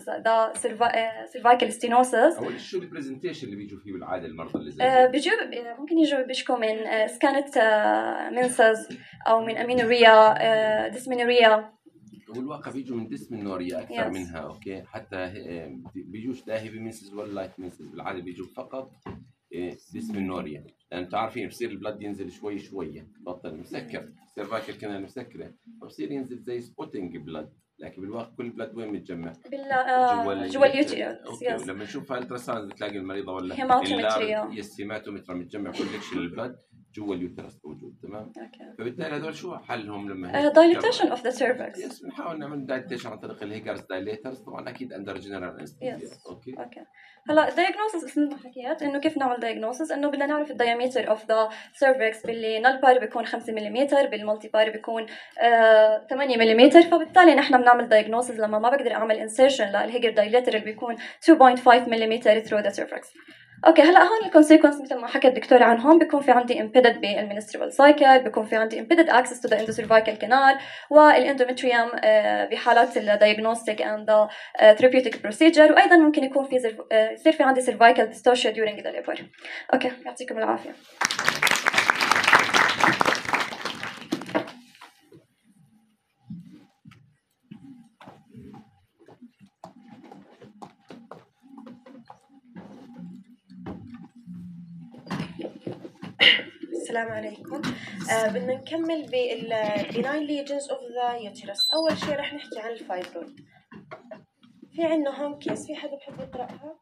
cervical stenosis. أول شو البرزنتيشن اللي بيجوا فيه بالعادة المرضى اللي زي uh, بيجوا ممكن يجوا بيشكوا من سكانت منسز أو من أمينوريا ديسمينوريا. والواقع بيجوا من ديسمينوريا أكثر yes. منها أوكي. حتى بيجوش لا هيفي منسز ولا لايت منسز، بالعادة بيجوا فقط ديسمينوريا، لأن يعني تعرفين بصير البلد ينزل شوي شوية بطل مسكر سيرفايكال كمان مسكرة فبصير ينزل زي سبوتينج بلد، لكن بالواقع كل البلد وين متجمع؟ بال جوا اليوتيوس. لما نشوفها التراساوند بتلاقي المريضة ولا هيماتومتريا يس هيماتومترا متجمع كولكشن البلد جوا اليوترس موجود. تمام. اوكي. فبالتالي هذول شو حلهم لما دايليتيشن اوف ذا سيرفكس. يس بنحاول نعمل دايليتيشن عن طريق الهيجرز دايليترز طبعا اكيد اندر جنرال انستيزيا. اوكي اوكي هلا الدايجنوستس مثل ما حكيت انه كيف نعمل دايجنوستس انه بدنا نعرف الدايمتر اوف ذا سيرفكس. باللي نال بار بيكون خمسة ملم، بالمالتي بار بيكون آه ثمانية ملم. فبالتالي نحن بنعمل دايجنوستس لما ما بقدر اعمل انسيرشن للهيجر دايليتر اللي بيكون two point five ملم through the cervix. اوكي هلا هون الكونسيكونس مثل ما حكى الدكتور عنهم بيكون في عندي امبيدد بالمنسترال سايكل، بيكون في عندي امبيدد اكسس تو ذا اندوسيرفايكال كانال والاندومتريوم بحالات الدايجنوستيك اند ثيرابيوتيك بروسيجر، وايضا ممكن يكون في يصير في عندي سيرفايكال ديستورشن during the labor. اوكي يعطيكم العافيه. السلام عليكم. آه بدنا نكمل بالبناين ليجنز اوف ذا يوتيرس. اول شيء رح نحكي عن الفايبرويد. في عندنا هوم كيس، في حدا بحب يقراها؟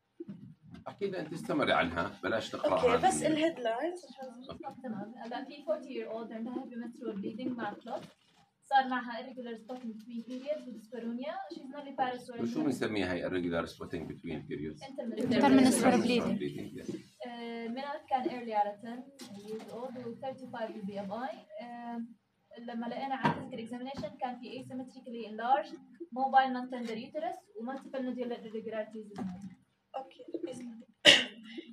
اكيد انت استمري عنها بلاش تقراها. اوكي بس الهيدلاينز تمام. هلا في forty year old عندها heavy menstrual bleeding مع clot، صار معها irregular spotting between periods ودyspareunia. she's nulliparous. وشو بنسميها هي irregular spotting between periods؟ intermenstrual bleeding. منات كان early على ten years old و thirty-five بي ام اي. لما لقينا على physical examination كان في asymmetrically enlarged mobile non-tender uterus و multiple nodular irregularities. اوكي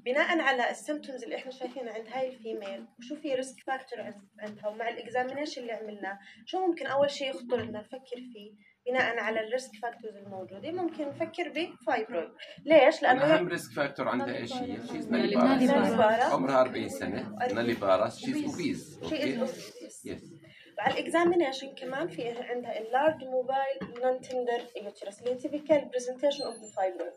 بناء على السيمبتومز اللي احنا شايفينها عند هاي الفيميل وشو في ريسك فاكتور عندها ومع الاكزامينيشن اللي عملناه، شو ممكن اول شيء يخطر لنا نفكر فيه بناء على الريسك فاكتورز الموجوده؟ ممكن نفكر بفايبرويد. ليش؟ لانه اهم ريسك فاكتور عندها ايش هي؟ شيز ناليبارس، عمرها أربعين سنه، ناليبارس، شيز اوبيز. اوكي يس. على الاكزامينيشن كمان في عندها اللارج موبايل نون تندر يوترس اللي تيبيكال برزنتيشن اوف ذا فايبرويد.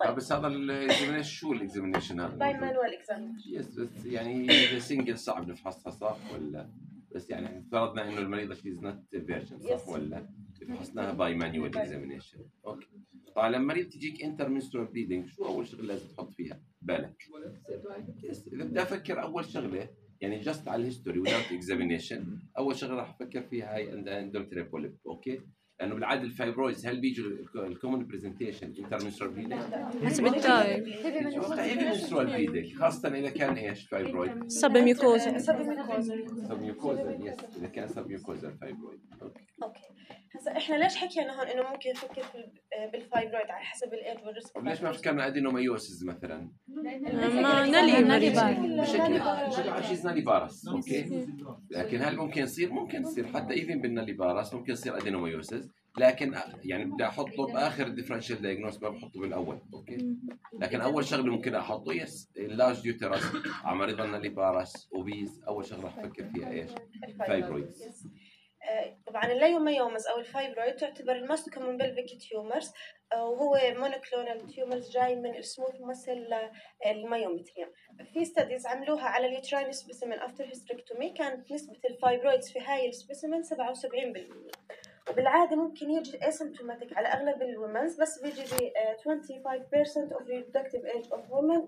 طيب بس هذا الاكزامينيشن شو الاكزامينيشن هذا؟ باي مانوال اكزامينيشن. يس بس يعني اذا سنجل صعب نفحصها صح ولا؟ بس يعني افترضنا انه المريضه شيز نوت فيرجن صح ولا؟ فحصناها باي مانوال اكزامينيشن. اوكي. طبعا لما المريض تجيك انتر منسترال بليدنج شو اول شغله لازم تحط فيها بالك؟ يس اذا بدي افكر اول شغله يعني جاست على الهيستوري without اكزامينيشن اول شغله راح افكر فيها هاي اندومتريال بوليب. اوكي. لانه بالعاده الفايبرويدز هل بيجوا الكومن برزنتيشن انتر منسترال بليدنج؟ حسب التايب هيفي منسترال بليدنج خاصه اذا كان ايش فايبرويد؟ سبميوكوزا سبميوكوزا. يس اذا كان سبميوكوزا فايبرويد. اوكي. اوكي هسا احنا ليش حكينا هون انه ممكن نفكر في بالفايبرويد على حسب الايج والريسك؟ ليش ما فكرنا ادينومايوسيس مثلا؟ ما نالي نالي بار شكلها شكلها شيء نالي بارس. اوكي. لكن هل ممكن يصير؟ ممكن يصير حتى ايفن بالنالي بارس ممكن يصير ادينومايوسيس لكن يعني بدي احطه باخر الديفرنشال دايجنوز ما بحطه بالاول. اوكي. لكن اول شغله ممكن احطه يس اللارج يوتيرس على مريض النالي بارس اوبيز اول شغله راح افكر فيها ايش؟ فايبرويدز. طبعا الليوميومز او الفايبرويد تعتبر الموست كومن بلفيك تيومرز وهو مونوكلونال تيومرز جاي من السموث مثل المايومتريوم. في ستاديز عملوها على اليوتراين سبيسيمن افتر هيستريكتومي كانت نسبه الفايبرويدز في هاي السبيسيمن سبعة وسبعين بالمئة وبالعاده ممكن يجي اسيمتوماتيك على اغلب الومنز بس بيجي ب خمسة وعشرين بالمئة of reproductive age of women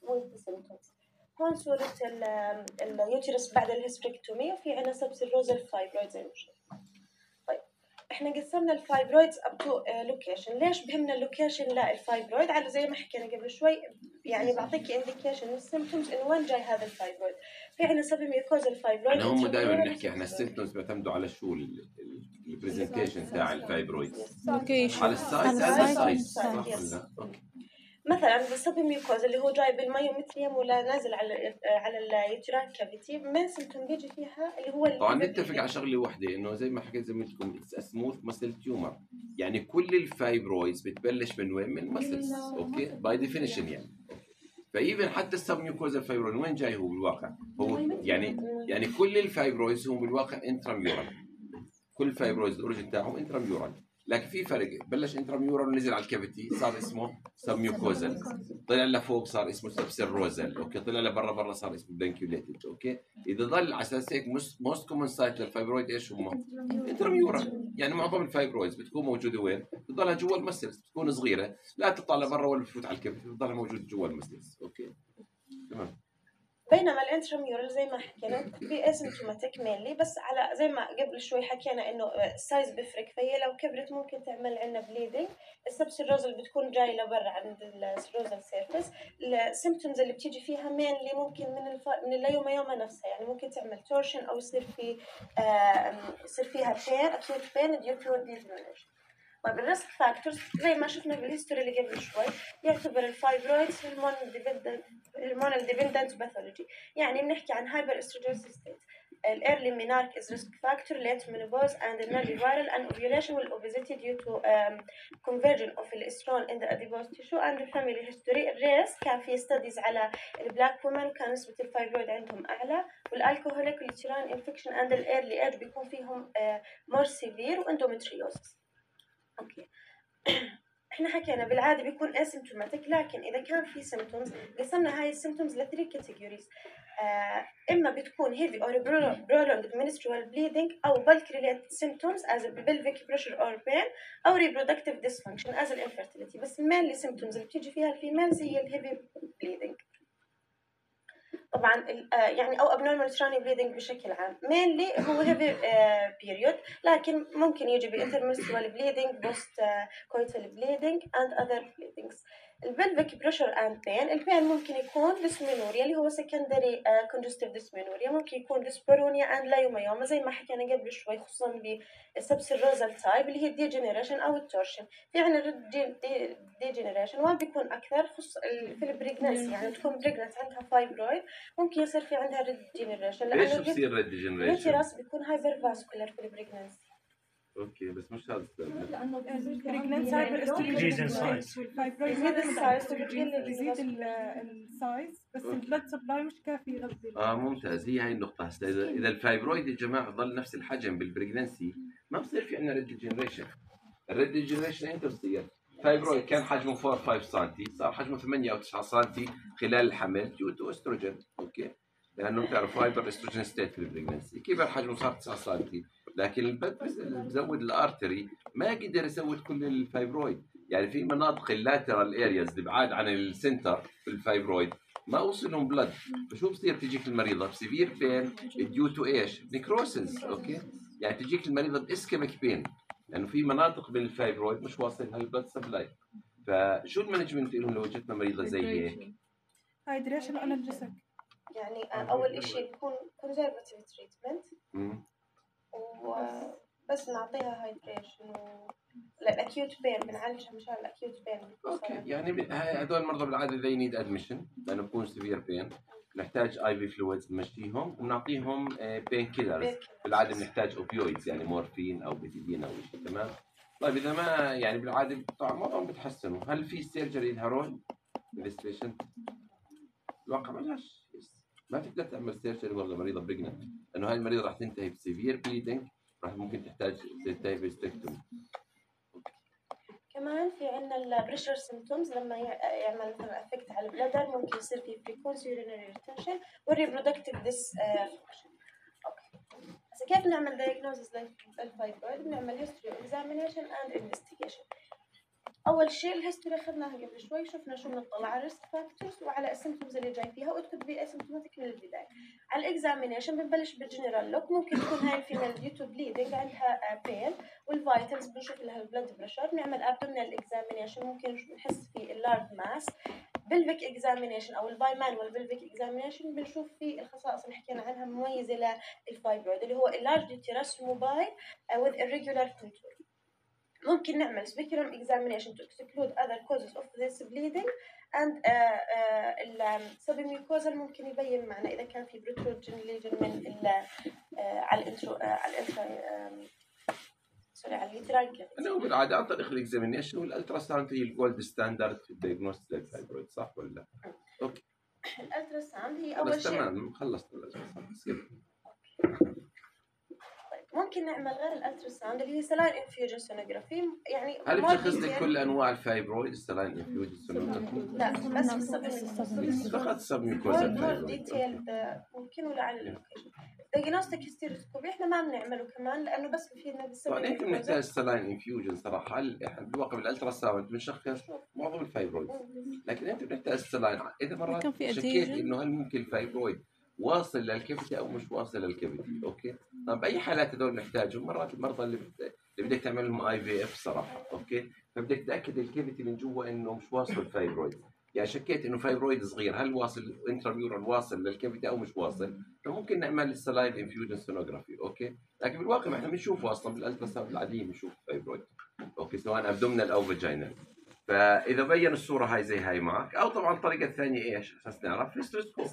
with symptoms. هون صورة اليوتيرس بعد الهيستريكتومي وفي عنا سبسيروزال فايبرويد زي ما شفنا. طيب احنا قسمنا الفايبرويدز اب تو لوكيشن. ليش بهمنا اللوكيشن؟ لا الفايبرويد على زي ما حكينا قبل شوي يعني بعطيك انديكيشن من السيمبتومز انه وين جاي هذا الفايبرويد. في عنا سبميوكوزال فايبرويد. يعني هم دائما بنحكي احنا السيمبتومز بيعتمدوا على شو البرزنتيشن تاع الفايبرويدز على السايز على السايز. اوكي. مثلا بالسبميوكوز اللي هو جاي بالمايومتريوم ولا نازل على على اليوتراين كافيتي ما سيمتوم بيجي فيها اللي هو طبعا نتفق على شغله وحده انه زي ما حكيت زميلتكم سموث مسل تيومر يعني كل الفايبرويدز بتبلش من وين؟ من مسلز. اوكي باي ديفينيشن يعني فايفن حتى السبميوكوز الفايبرويد وين جاي هو بالواقع؟ هو يعني يعني كل الفايبرويدز هم بالواقع انتراميورال. كل الفايبرويدز الاوريجن تاعهم انتراميورال لكن في فرق بلش انتراميورال ونزل على الكافيتي صار اسمه سبميوكوزال طلع لفوق صار اسمه سبسيروزال. اوكي طلع لبرا برا صار اسمه بلانكيوليتد. اوكي اذا ضل على اساس هيك موست كومن سايت للفايبرويد ايش هم؟ انتراميورال. يعني معظم الفايبرويدز بتكون موجوده وين؟ بتضلها جوا المسلز بتكون صغيره لا تطلع لبرا ولا بتفوت على الكافيتي بتضلها موجوده جوا المسلز. اوكي تمام. بينما الانتراميورال زي ما حكينا بي اسيمتوماتيك مينلي بس على زي ما قبل شوي حكينا انه السايز بيفرق فهي لو كبرت ممكن تعمل عندنا بليدنج. السبسيروزال بتكون جاي لبرا عند السيروزال سيرفيس. السيمبتومز اللي بتيجي فيها مينلي ممكن من الف... من الليوميوما نفسها يعني ممكن تعمل تورشن او يصير في آه يصير فيها بين اكيوت بين ديو تو ديزمينيشن. طيب الريسك فاكتورز زي ما شفنا بالهيستوري اللي قبل شوي يعتبر الفايبرويدز هرمونال ديبندنت هرمونال ديبندنت باثولوجي يعني بنحكي عن هايبر استروجينسيس ستيت. الايرلي مينارك از ريسك فاكتور late menopause and early viral and ovulation with obesity due to um, conversion of estrone in the adipose tissue and family history. الريس كان في ستاديز على البلاك وومن وكان نسبة الفايبرويد عندهم أعلى والالكوهوليك واليوتراين انفكشن and الايرلي ايج بيكون فيهم uh, more severe واندومتريوزس. اوكي احنا حكينا بالعاده بيكون اسيمتوماتيك لكن اذا كان في سيمبتومز قسمنا هاي السيمبتومز لثري كاتيجوريز. آه اما بتكون heavy or prolonged menstrual bleeding او bulk related symptoms as pelvic pressure or pain او reproductive dysfunction as infertility. بس mainly symptoms اللي بتيجي فيها الفيميلز هي الهيفي bleeding طبعا يعني او abnormal uterine bleeding بشكل عام. mainly هو heavy period لكن ممكن يجي بintermenstrual bleeding post coital bleeding and other bleedings. البلفيك بريشر اند بين البين ممكن يكون ديسمينوريا اللي هو سكندري كونجستيف ديسمينوريا ممكن يكون ديسبارونيا اند لايوميوما زي ما حكينا قبل شوي خصوصا بالسبسيروزال تايب اللي هي الديجنريشن او التورشن. في عندنا ديجنريشن وين بيكون اكثر خص في البريجنسي يعني تكون بريجننت عندها فايبرويد ممكن يصير في عندها ديجنريشن ليش بصير الديجنريشن؟ اليوتيرس بيكون هايبر فاسكولار في البريجنسي. اوكي بس مش هذا السبب. لانه البريجننت هايبر استروجين سايز والفايبرويد يزيد السايز يزيد السايز بس البلد سبلاي مش كافي يغذي. اه ممتاز هي هاي النقطة هسه اذا اذا الفايبرويد يا جماعة ضل نفس الحجم بالبريجنسي ما بصير في عندنا ريد جنريشن. الريد جنريشن امتى بصير؟ فايبرويد كان حجمه أربعة خمسة سنتي صار حجمه ثمانية أو تسعة سنتي خلال الحمل ديو تو استروجين. اوكي، لانه بتعرف هايبر استروجين ستيت في البريجنسي، كبر حجمه صار تسعة سنتي، لكن البد بزود الارتري ما قدر يزود كل الفايبرويد. يعني في مناطق اللاترال ارياز اللي بعاد عن السنتر في الفايبرويد ما وصلهم بلد، فشو بصير تجيك المريضه بسيفير بين ديو تو ايش؟ نيكروسيس. اوكي، يعني تجيك المريضه باسكيميك بين لانه يعني في مناطق من الفايبرويد مش واصل هالبلد سبلاي. فشو المانجمنت لهم لو وجدنا مريضه زي هيك؟ هايدريشن انالجيسك، يعني اول شيء بكون كونزرفاتيف تريتمنت وبس نعطيها هايدريشن للاكيوت بين، بنعالجها مشان الاكيوت بين. اوكي، يعني هدول المرضى بالعاده they need admission لانه بكون سيفير بين، نحتاج اي في فلويدز بنمشيهم وبنعطيهم بين كيلرز، بالعاده بنحتاج اوبيويدز يعني مورفين او بيتيدين او شيء. تمام. طيب اذا ما يعني بالعاده طبعا معظمهم بتحسنوا، هل في سيرجري لها رول انفستيجيشن؟ الواقع بلاش، ما تقدر تعمل سيرجري والله مريضه بريجننت لانه هاي المريضه راح تنتهي بسيفير بليدنج، راح ممكن تحتاج تنتهي بستكتومي. كمان في عندنا البريشر سيمتومز لما يعمل مثلا افكت على البلادر، ممكن يصير في بريكونس يورينري ريتنشن والريبرودكتيف ديس فانكشن. اوكي، هسه كيف نعمل دايجنوزس للفايبرويد؟ بنعمل هيستوري اكزامينيشن اند انفستيجيشن. اول شيء الهيستوري اخذناها قبل شوي، شفنا شو بنطلع على الريسك فاكتورز وعلى السيمتومز اللي جاي فيها وات كود بي اسيمتوماتيك من البدايه. على الاكزامينيشن بنبلش بالجنرال لوك، ممكن تكون هاي الفيميل ديو تو بليدنج عندها بين، والفايتلز بنشوف لها البلد بريشر، بنعمل ابدومينال اكزامينيشن ممكن نحس في اللارج ماس. بلفيك اكزامينيشن او الباي مانوال بلفيك اكزامينيشن بنشوف في الخصائص اللي حكينا عنها مميزه للفايبرويد اللي هو اللارج يوتيرس موبايل with irregular contour. ممكن نعمل speculum examination to exclude other causes of this bleeding and السبميوكوزال ممكن يبين معنا إذا كان في protrusion lesion من ال على الانترو على الانترا سوري على اليوترال. أنا بالعادة عن طريق الإكزامينيشن والألترا ساوند هي الجولد ستاندرد في الدياجنوستيك للفايبرويد، صح ولا لا؟ أوكي. الألترا ساوند هي أول شيء. تمام، خلصنا الألترا ساوند. ممكن نعمل غير الالتراساوند اللي هي سلاين انفيوجن سونوغرافي، يعني هل بتشخص لك كل انواع الفايبرويد السلاين انفيوجن سونوغرافي؟ لا بس السبميوكوزال فقط السبميوكوزال مور ديتيل ممكن ولا على اللوكيشن. دايجنوستيك هيستيروسكوبي احنا ما بنعمله كمان لانه بس بفيدنا بالسبميوكوزال. طبعا انت بنحتاج سلاين انفيوجن صراحه، هل احنا بالواقع بالالتراساوند بنشخص معظم الفايبرويد، لكن انت بنحتاج سلاين اذا مرات شكيت انه هل ممكن الفايبرويد واصل للكبتي او مش واصل للكبتي. اوكي، طب باي حالات هذول نحتاجهم؟ مرات المرضى اللي اللي بدك تعمل لهم اي في اف صراحه. اوكي، فبدك تاكد الكبتي من جوا انه مش واصل الفايبرويد، يعني شكيت انه فايبرويد صغير هل واصل انتراميورال واصل للكبتي او مش واصل، فممكن نعمل السلاين انفيوجن سونوغرافي. اوكي، لكن بالواقع احنا بنشوفه اصلا بالالتراساوند العاديه بنشوف الفايبرويد. اوكي، سواء ابدومينال او فاجينال. فاذا بين الصوره هاي زي هاي معك، او طبعا الطريقه الثانيه ايش اساس نعرف هيستروسكوب.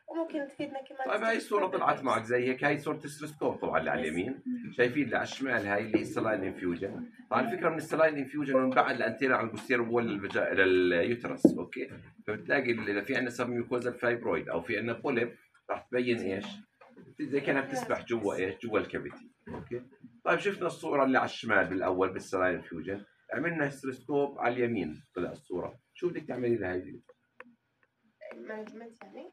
وممكن تفيدنا كمان. طيب هاي الصورة طلعت معك زي هيك، هاي صورة السلسكوب طبعا اللي على اليمين، شايفين اللي على الشمال هاي اللي السلاين انفيوجن. طبعا الفكرة من السلاين انفيوجن من بعد الانتيرا على البوستيرور وول لليوترس. اوكي، فبتلاقي اذا في عندنا سبميوكوزال فايبرويد او في عندنا بوليب راح تبين ايش؟ زي كانها بتسبح جوا ايش؟ جوا الكافيتي. اوكي، طيب شفنا الصورة اللي على الشمال بالاول بالسلاين انفيوجن، عملنا هيستروسكوب على اليمين طلع الصورة، شو بدك تعملي لها هي؟ مانجمنت يعني؟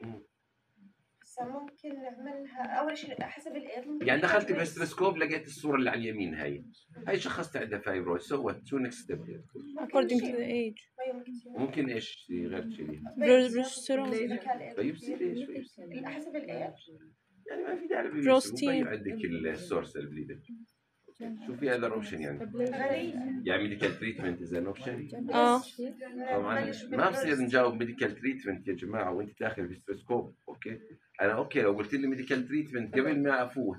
ممكن نعملها اول شيء حسب الايد. يعني دخلت بالستروسكوب لقيت الصوره اللي على اليمين هاي هاي شخصت عندها فايبرويد، سوت شو نكست ستيب؟ according to the age ممكن ايش غير شيء؟ بروجستيرون. بايوبسي ليش؟ حسب الايد يعني ما في داعي بروستين عندك السورس البليدنج. شوفي هذا اوبشن يعني يعني ميديكال تريتمنت از ان اوبشن. اه طبعا ما بصير نجاوب ميديكال تريتمنت يا جماعه وانت داخل بالستروسكوب. اوكي، انا اوكي لو قلت لي ميديكال تريتمنت قبل ما افوت،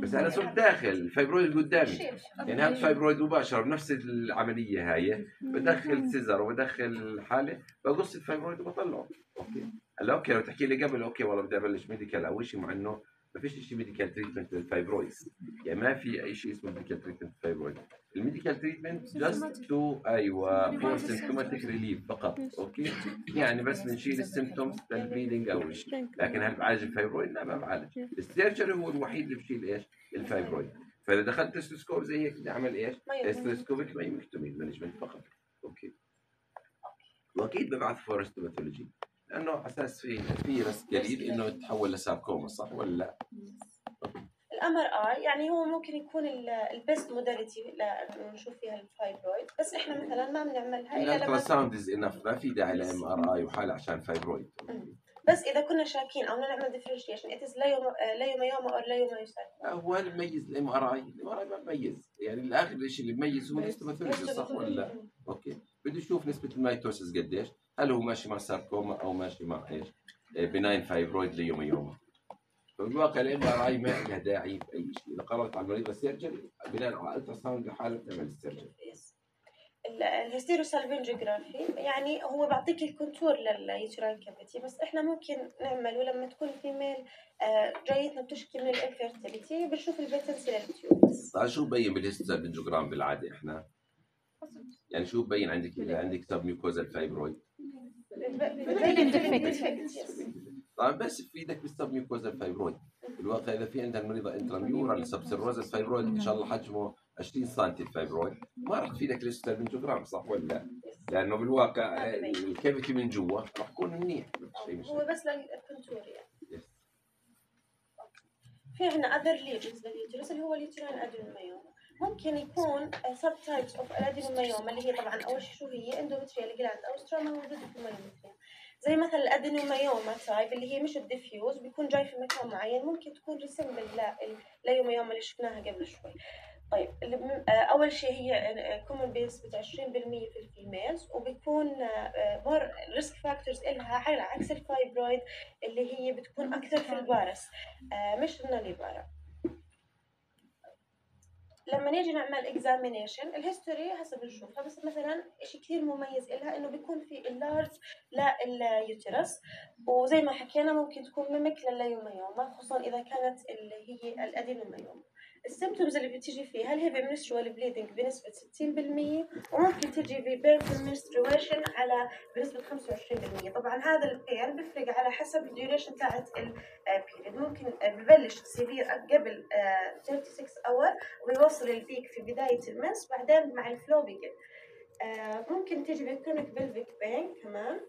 بس انا صرت داخل الفايبرويد قدامي، يعني هذا فايبرويد مباشره بنفس العمليه هاي، بدخل سيزر وبدخل حاله بقص الفايبرويد وبطلعه. اوكي، هلا اوكي لو تحكي لي قبل اوكي والله بدي ابلش ميديكال او شيء، مع انه ما فيش شيء ميديكال تريتمنت للفايبرويد، يعني ما في اي شيء اسمه ميديكال تريتمنت للفايبرويد. الميديكال تريتمنت جاست تو ايوه فور سيمبتوماتيك ريليف فقط. اوكي، يعني بس بنشيل السيمبتومز للبليدنج او شيء، لكن هل بعالج الفايبرويد؟ لا ما بعالج. السيرجري هو الوحيد اللي بشيل ايش؟ الفايبرويد. فاذا دخلت تستوسكوب زي هيك بدي اعمل ايش؟ مايومكتومي. تستوسكوبيك مايومكتومي مانجمنت فقط. اوكي. واكيد ببعث فور هيستوباثولوجي لانه على اساس في في ريسك قليل انه يتحول لساركوما، صح ولا لا؟ الام ار اي يعني هو ممكن يكون البيست موداليتي لانه نشوف فيها الفايبرويد، بس احنا مثلا ما بنعملها الا الالترا لما ساوند از انف، ما في داعي لام ار اي وحاله عشان فايبرويد. بس اذا كنا شاكين او بدنا نعمل ديفرنشيشن اتس ليوميوما او ليوميوساركوما. هو اللي بميز الام ار اي، الام ار اي ما بميز، يعني الاخر شيء اللي بميز هو الهيستوباثولوجي، صح ولا لا؟ اوكي. بده يشوف نسبه الميتوسيس قديش، هل هو ماشي مع ساركوما او ماشي مع ايش؟ بناين فايبرويد ليوميوما. فبالواقع الام ار اي ما لها داعي في اي شيء، اذا قررت على المريض السيرجري بناء على الترا ساوند لحاله بتعمل السيرجري. الهيستيروسالفنجوغرافي يعني هو بيعطيك الكونتور لليوتراين كافيتي، بس احنا ممكن نعمله لما تكون فيميل جايتنا بتشكي من الانفيرتيليتي بنشوف البيتنسي للتيوبس. طيب شو ببين بالهيستوسالفنجوغرام بالعاده احنا؟ يعني شو ببين عندك اذا عندك سب ميوكوزال فايبرويد؟ طيب بس بفيدك بالسب ميوكوزال فايبرويد. بالواقع اذا في عندها المريضه انتراميورال سبسيروزال فايبرويد ان شاء الله حجمه عشرين سنتي الفايبرويد، ما راح تفيدك الهيستوسالفنجوغرام، صح ولا لا؟ لانه بالواقع الكافيتي من جوا راح يكون منيح. هو بس للكونتور يعني. في عندنا اذر ليجنز لليوترس اللي هو اليوترين ادينومايوما. ممكن يكون سب تايبس اوف الادينومايوما اللي هي طبعا اول شيء شو هي اندومتريال جلاند او ستروما موجوده في المايومتريم، زي مثلا الادينومايوما تايب اللي هي مش الديفيوز بيكون جاي في مكان معين، ممكن تكون ريسمبل لليوميوما اللي شفناها قبل شوي. طيب اول شيء هي كومن بنسبه عشرين بالمية في الفيميلز، وبيكون مور ريسك فاكتورز لها على عكس الفايبرويد اللي هي بتكون اكثر في البارس مش الناليبارا. لما نيجي نعمل اكزامينيشن الهيستوري هسه بنشوفها، بس مثلا شيء كثير مميز لها انه بيكون في اللارج لليوترس، وزي ما حكينا ممكن تكون ميمك لليوميوما خصوصا اذا كانت اللي هي الادينوميوما. السيمبتومز اللي بتيجي فيها هل هي بمنسترول بليدنج بنسبه ستين بالمية، وممكن تجي ببيرفل منسترويشن على بنسبه خمسة وعشرين بالمية. طبعا هذا البين بيفرق على حسب الديوريشن تاعت البيريد، ممكن ببلش سيفير قبل ستة وثلاثين اور وبيوصل البيك في بدايه المنس، بعدين مع الفلو بيقل. ممكن تيجي بكرونيك بلفيك بين كمان،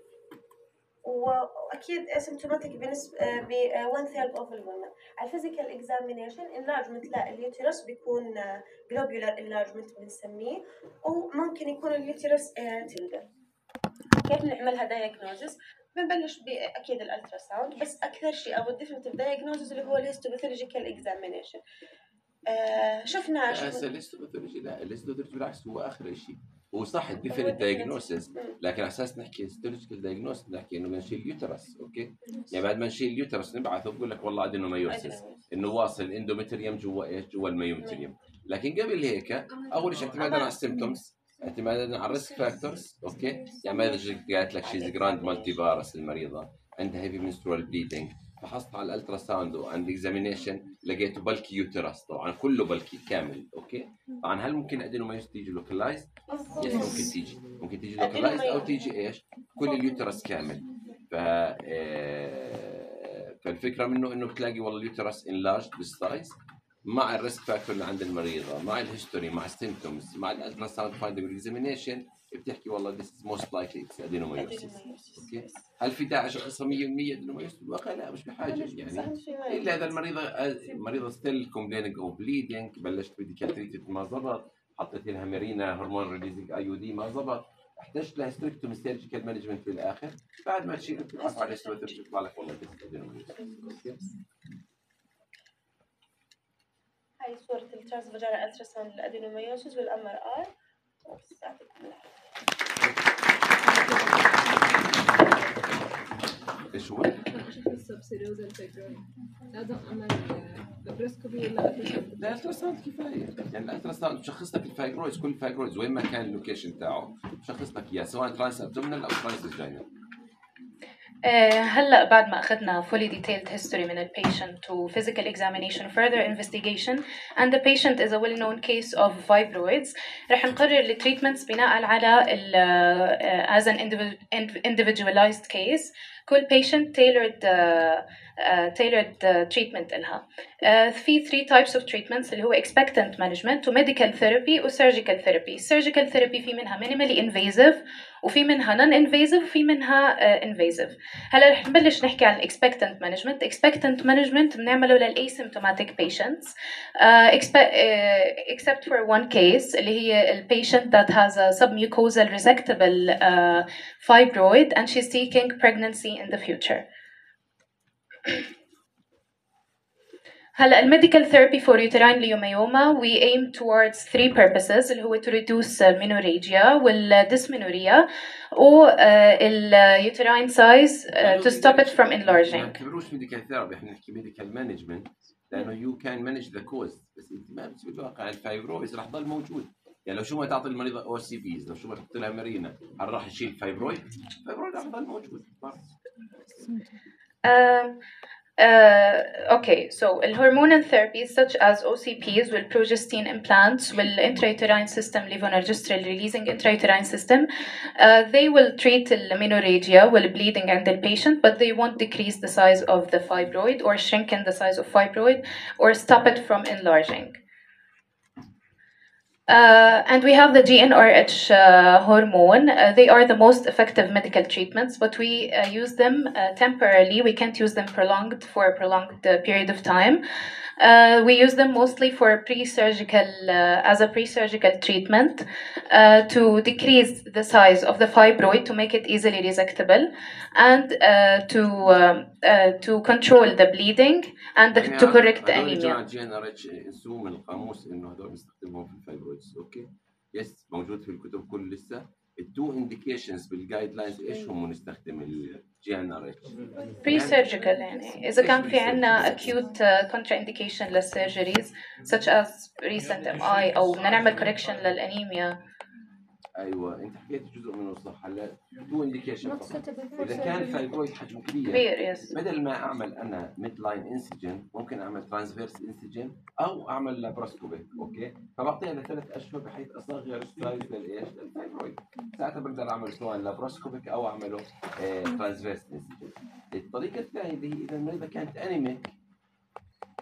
واكيد اسيمتوماتيك بنسبه ب one third of الومن. على الفيزيكال اكزامينيشن انلارجمنت لليوترس بيكون جلوبولار انلارجمنت بنسميه، وممكن يكون اليوترس تندر. كيف نعملها دايجنوزس؟ بنبلش باكيد الالترا ساوند، بس اكثر شيء او الديفينيتيف دايجنوزس اللي هو الهيستوباثولوجيكال اكزامينيشن. آه شفنا شفنا الهيستوباثولوجي، لا الهيستوباثولوجي بالعكس هو اخر شيء، هو صح الديفينيت دايجنوسيس، لكن على اساس نحكي هيستولوجيكال دايجنوسيس نحكي انه بنشيل اليوترس. اوكي، يعني بعد ما نشيل اليوترس نبعثه بقول لك والله ادينومايوسيس، انه واصل الاندومتريوم جوا ايش؟ جوا الميومتريوم. لكن قبل هيك اول شيء اعتمادا على السيمبتومز، اعتمادا على الريسك فاكتورز. اوكي، يعني ما اذا قالت لك شيء جراند مالتي فارس المريضه عندها هيفي منسترول بليدنج، فحصت على الالترا ساوند وعند اكزامينيشن لقيته بلكي يوترس، طبعا كله بلكي كامل. اوكي، طبعا هل ممكن ادينومايوس تيجي لوكلايز؟ يس ممكن تيجي، ممكن تيجي لوكلايز او تيجي ايش؟ كل اليوترس كامل. ف فالفكره منه انه بتلاقي والله اليوترس انلارج بالسايز مع الريسك فاكتور اللي عند المريضه، مع الهيستوري، مع السيمبتومز، مع الالترا ساوند فايندنج اكزامينيشن، بتحكي والله this is most likely it's adenomyosis. اوكي، هل في داعي اشخصها مية بالمية adenomyosis؟ بالواقع لا، مش بحاجه يعني، الا اذا المريضه المريضه ستيل كومبليننج او بليدنج، بلشت ميديكال تريتمنت ما زبط، حطيت لها مارينا هرمون ريليزنج اي يو دي ما زبط، احتجت لها ستريكتومي سيرجيكال مانجمنت بالاخر، بعد ما تشيل بتعرف على الهيستوباثولوجي يطلع لك والله this is adenomyosis. هاي صورة الترانسفاجينال التراساوند للادينومايوسيس والام ار اي. ايش هو؟ شوف السبسيروزال فايبرويد لازم اعمل لابروسكوبي ولا التراساوند؟ لا التراساوند كفايه، يعني التراساوند بشخص لك الفايبرويدز، كل الفايبرويدز وين ما كان اللوكيشن تاعه بشخص لك اياه، سواء ترانس ابدومينال او ترانس فاجينال. هلا بعد ما أخذنا fully detailed history من ال patient و physical examination further investigation and the patient is a well known case of fibroids، رح نقرر ال treatments بناء على ال uh, as an individualized case كل patient tailored uh, uh, tailored uh, treatment إلها. Uh, في three types of treatments اللي هو expectant management و medical therapy و surgical therapy. surgical therapy في منها minimally invasive وفي منها non-invasive وفي منها uh, invasive. هلا رح نبلش نحكي عن expectant management. expectant management بنعمله لل asymptomatic patients uh, expe- uh, except for one case اللي هي ال patient that has a submucosal resectable uh, fibroid and she's seeking pregnancy in the future. هلا الميديكال ثيرابي فور uterine leiomyoma we aim towards three purposes اللي هو to reduce menorrhagia والdysmenorrhea و ال uterine size uh, to stop it from enlarging. ما نعتبروش ميديكال ثيرابي، احنا نحكي ميديكال مانجمنت لانه you can manage the cause، بس انت ما بتسوي بالواقع الفايبرويز رح يضل موجود. يعني لو شو ما تعطي المريضه او سي فيز، لو شو ما تحط لها مارينا، هل راح يشيل فايبرويد؟ الفايبرويد رح يضل موجود. Um, Uh, okay, so hormonal therapies such as O C Ps with progestin implants will intrauterine system levonorgestrel releasing intrauterine system uh, they will treat the menorrhagia will bleeding and the patient but they won't decrease the size of the fibroid or shrinken the size of fibroid or stop it from enlarging. Uh, and we have the G n R H uh, hormone. Uh, they are the most effective medical treatments, but we uh, use them uh, temporarily. We can't use them prolonged for a prolonged uh, period of time. Uh, we use them mostly for pre-surgical, uh, as a pre-surgical treatment uh, to decrease the size of the fibroid to make it easily resectable and uh, to um, uh, to control the bleeding and the, to correct the anemia. جي ان ار اتش انسوا من القاموس انه هذول بنستخدمهم في الفايبرويدز، اوكي؟ يس موجود في الكتب كل لسه. التو انديكيشنز بالجايد لاينز ايش هم نستخدم الجي ان ار اتش؟ بري سيرجيكال، يعني اذا كان في عندنا acute كونترا انديكيشن للسيرجريز such as recent ام اي او بدنا نعمل كوركشن للانيميا. ايوه انت حكيت جزء منه صح. هلا تو انديكيشن فقط. اذا كان فايبرويد حجمه كبير كبير يس بدل ما اعمل انا ميد لاين انسجن ممكن اعمل ترانسفيرس انسجن او اعمل لابروسكوبي، اوكي؟ فبعطيها لثلاث اشهر بحيث اصغر السايز للايش؟ للفايبرويد. ساعتها بقدر اعمل سواء لابروسكوبيك او اعمله اه ترانسفيرس انسجن. الطريقه الثانيه اللي هي اذا المريضه كانت انيميك،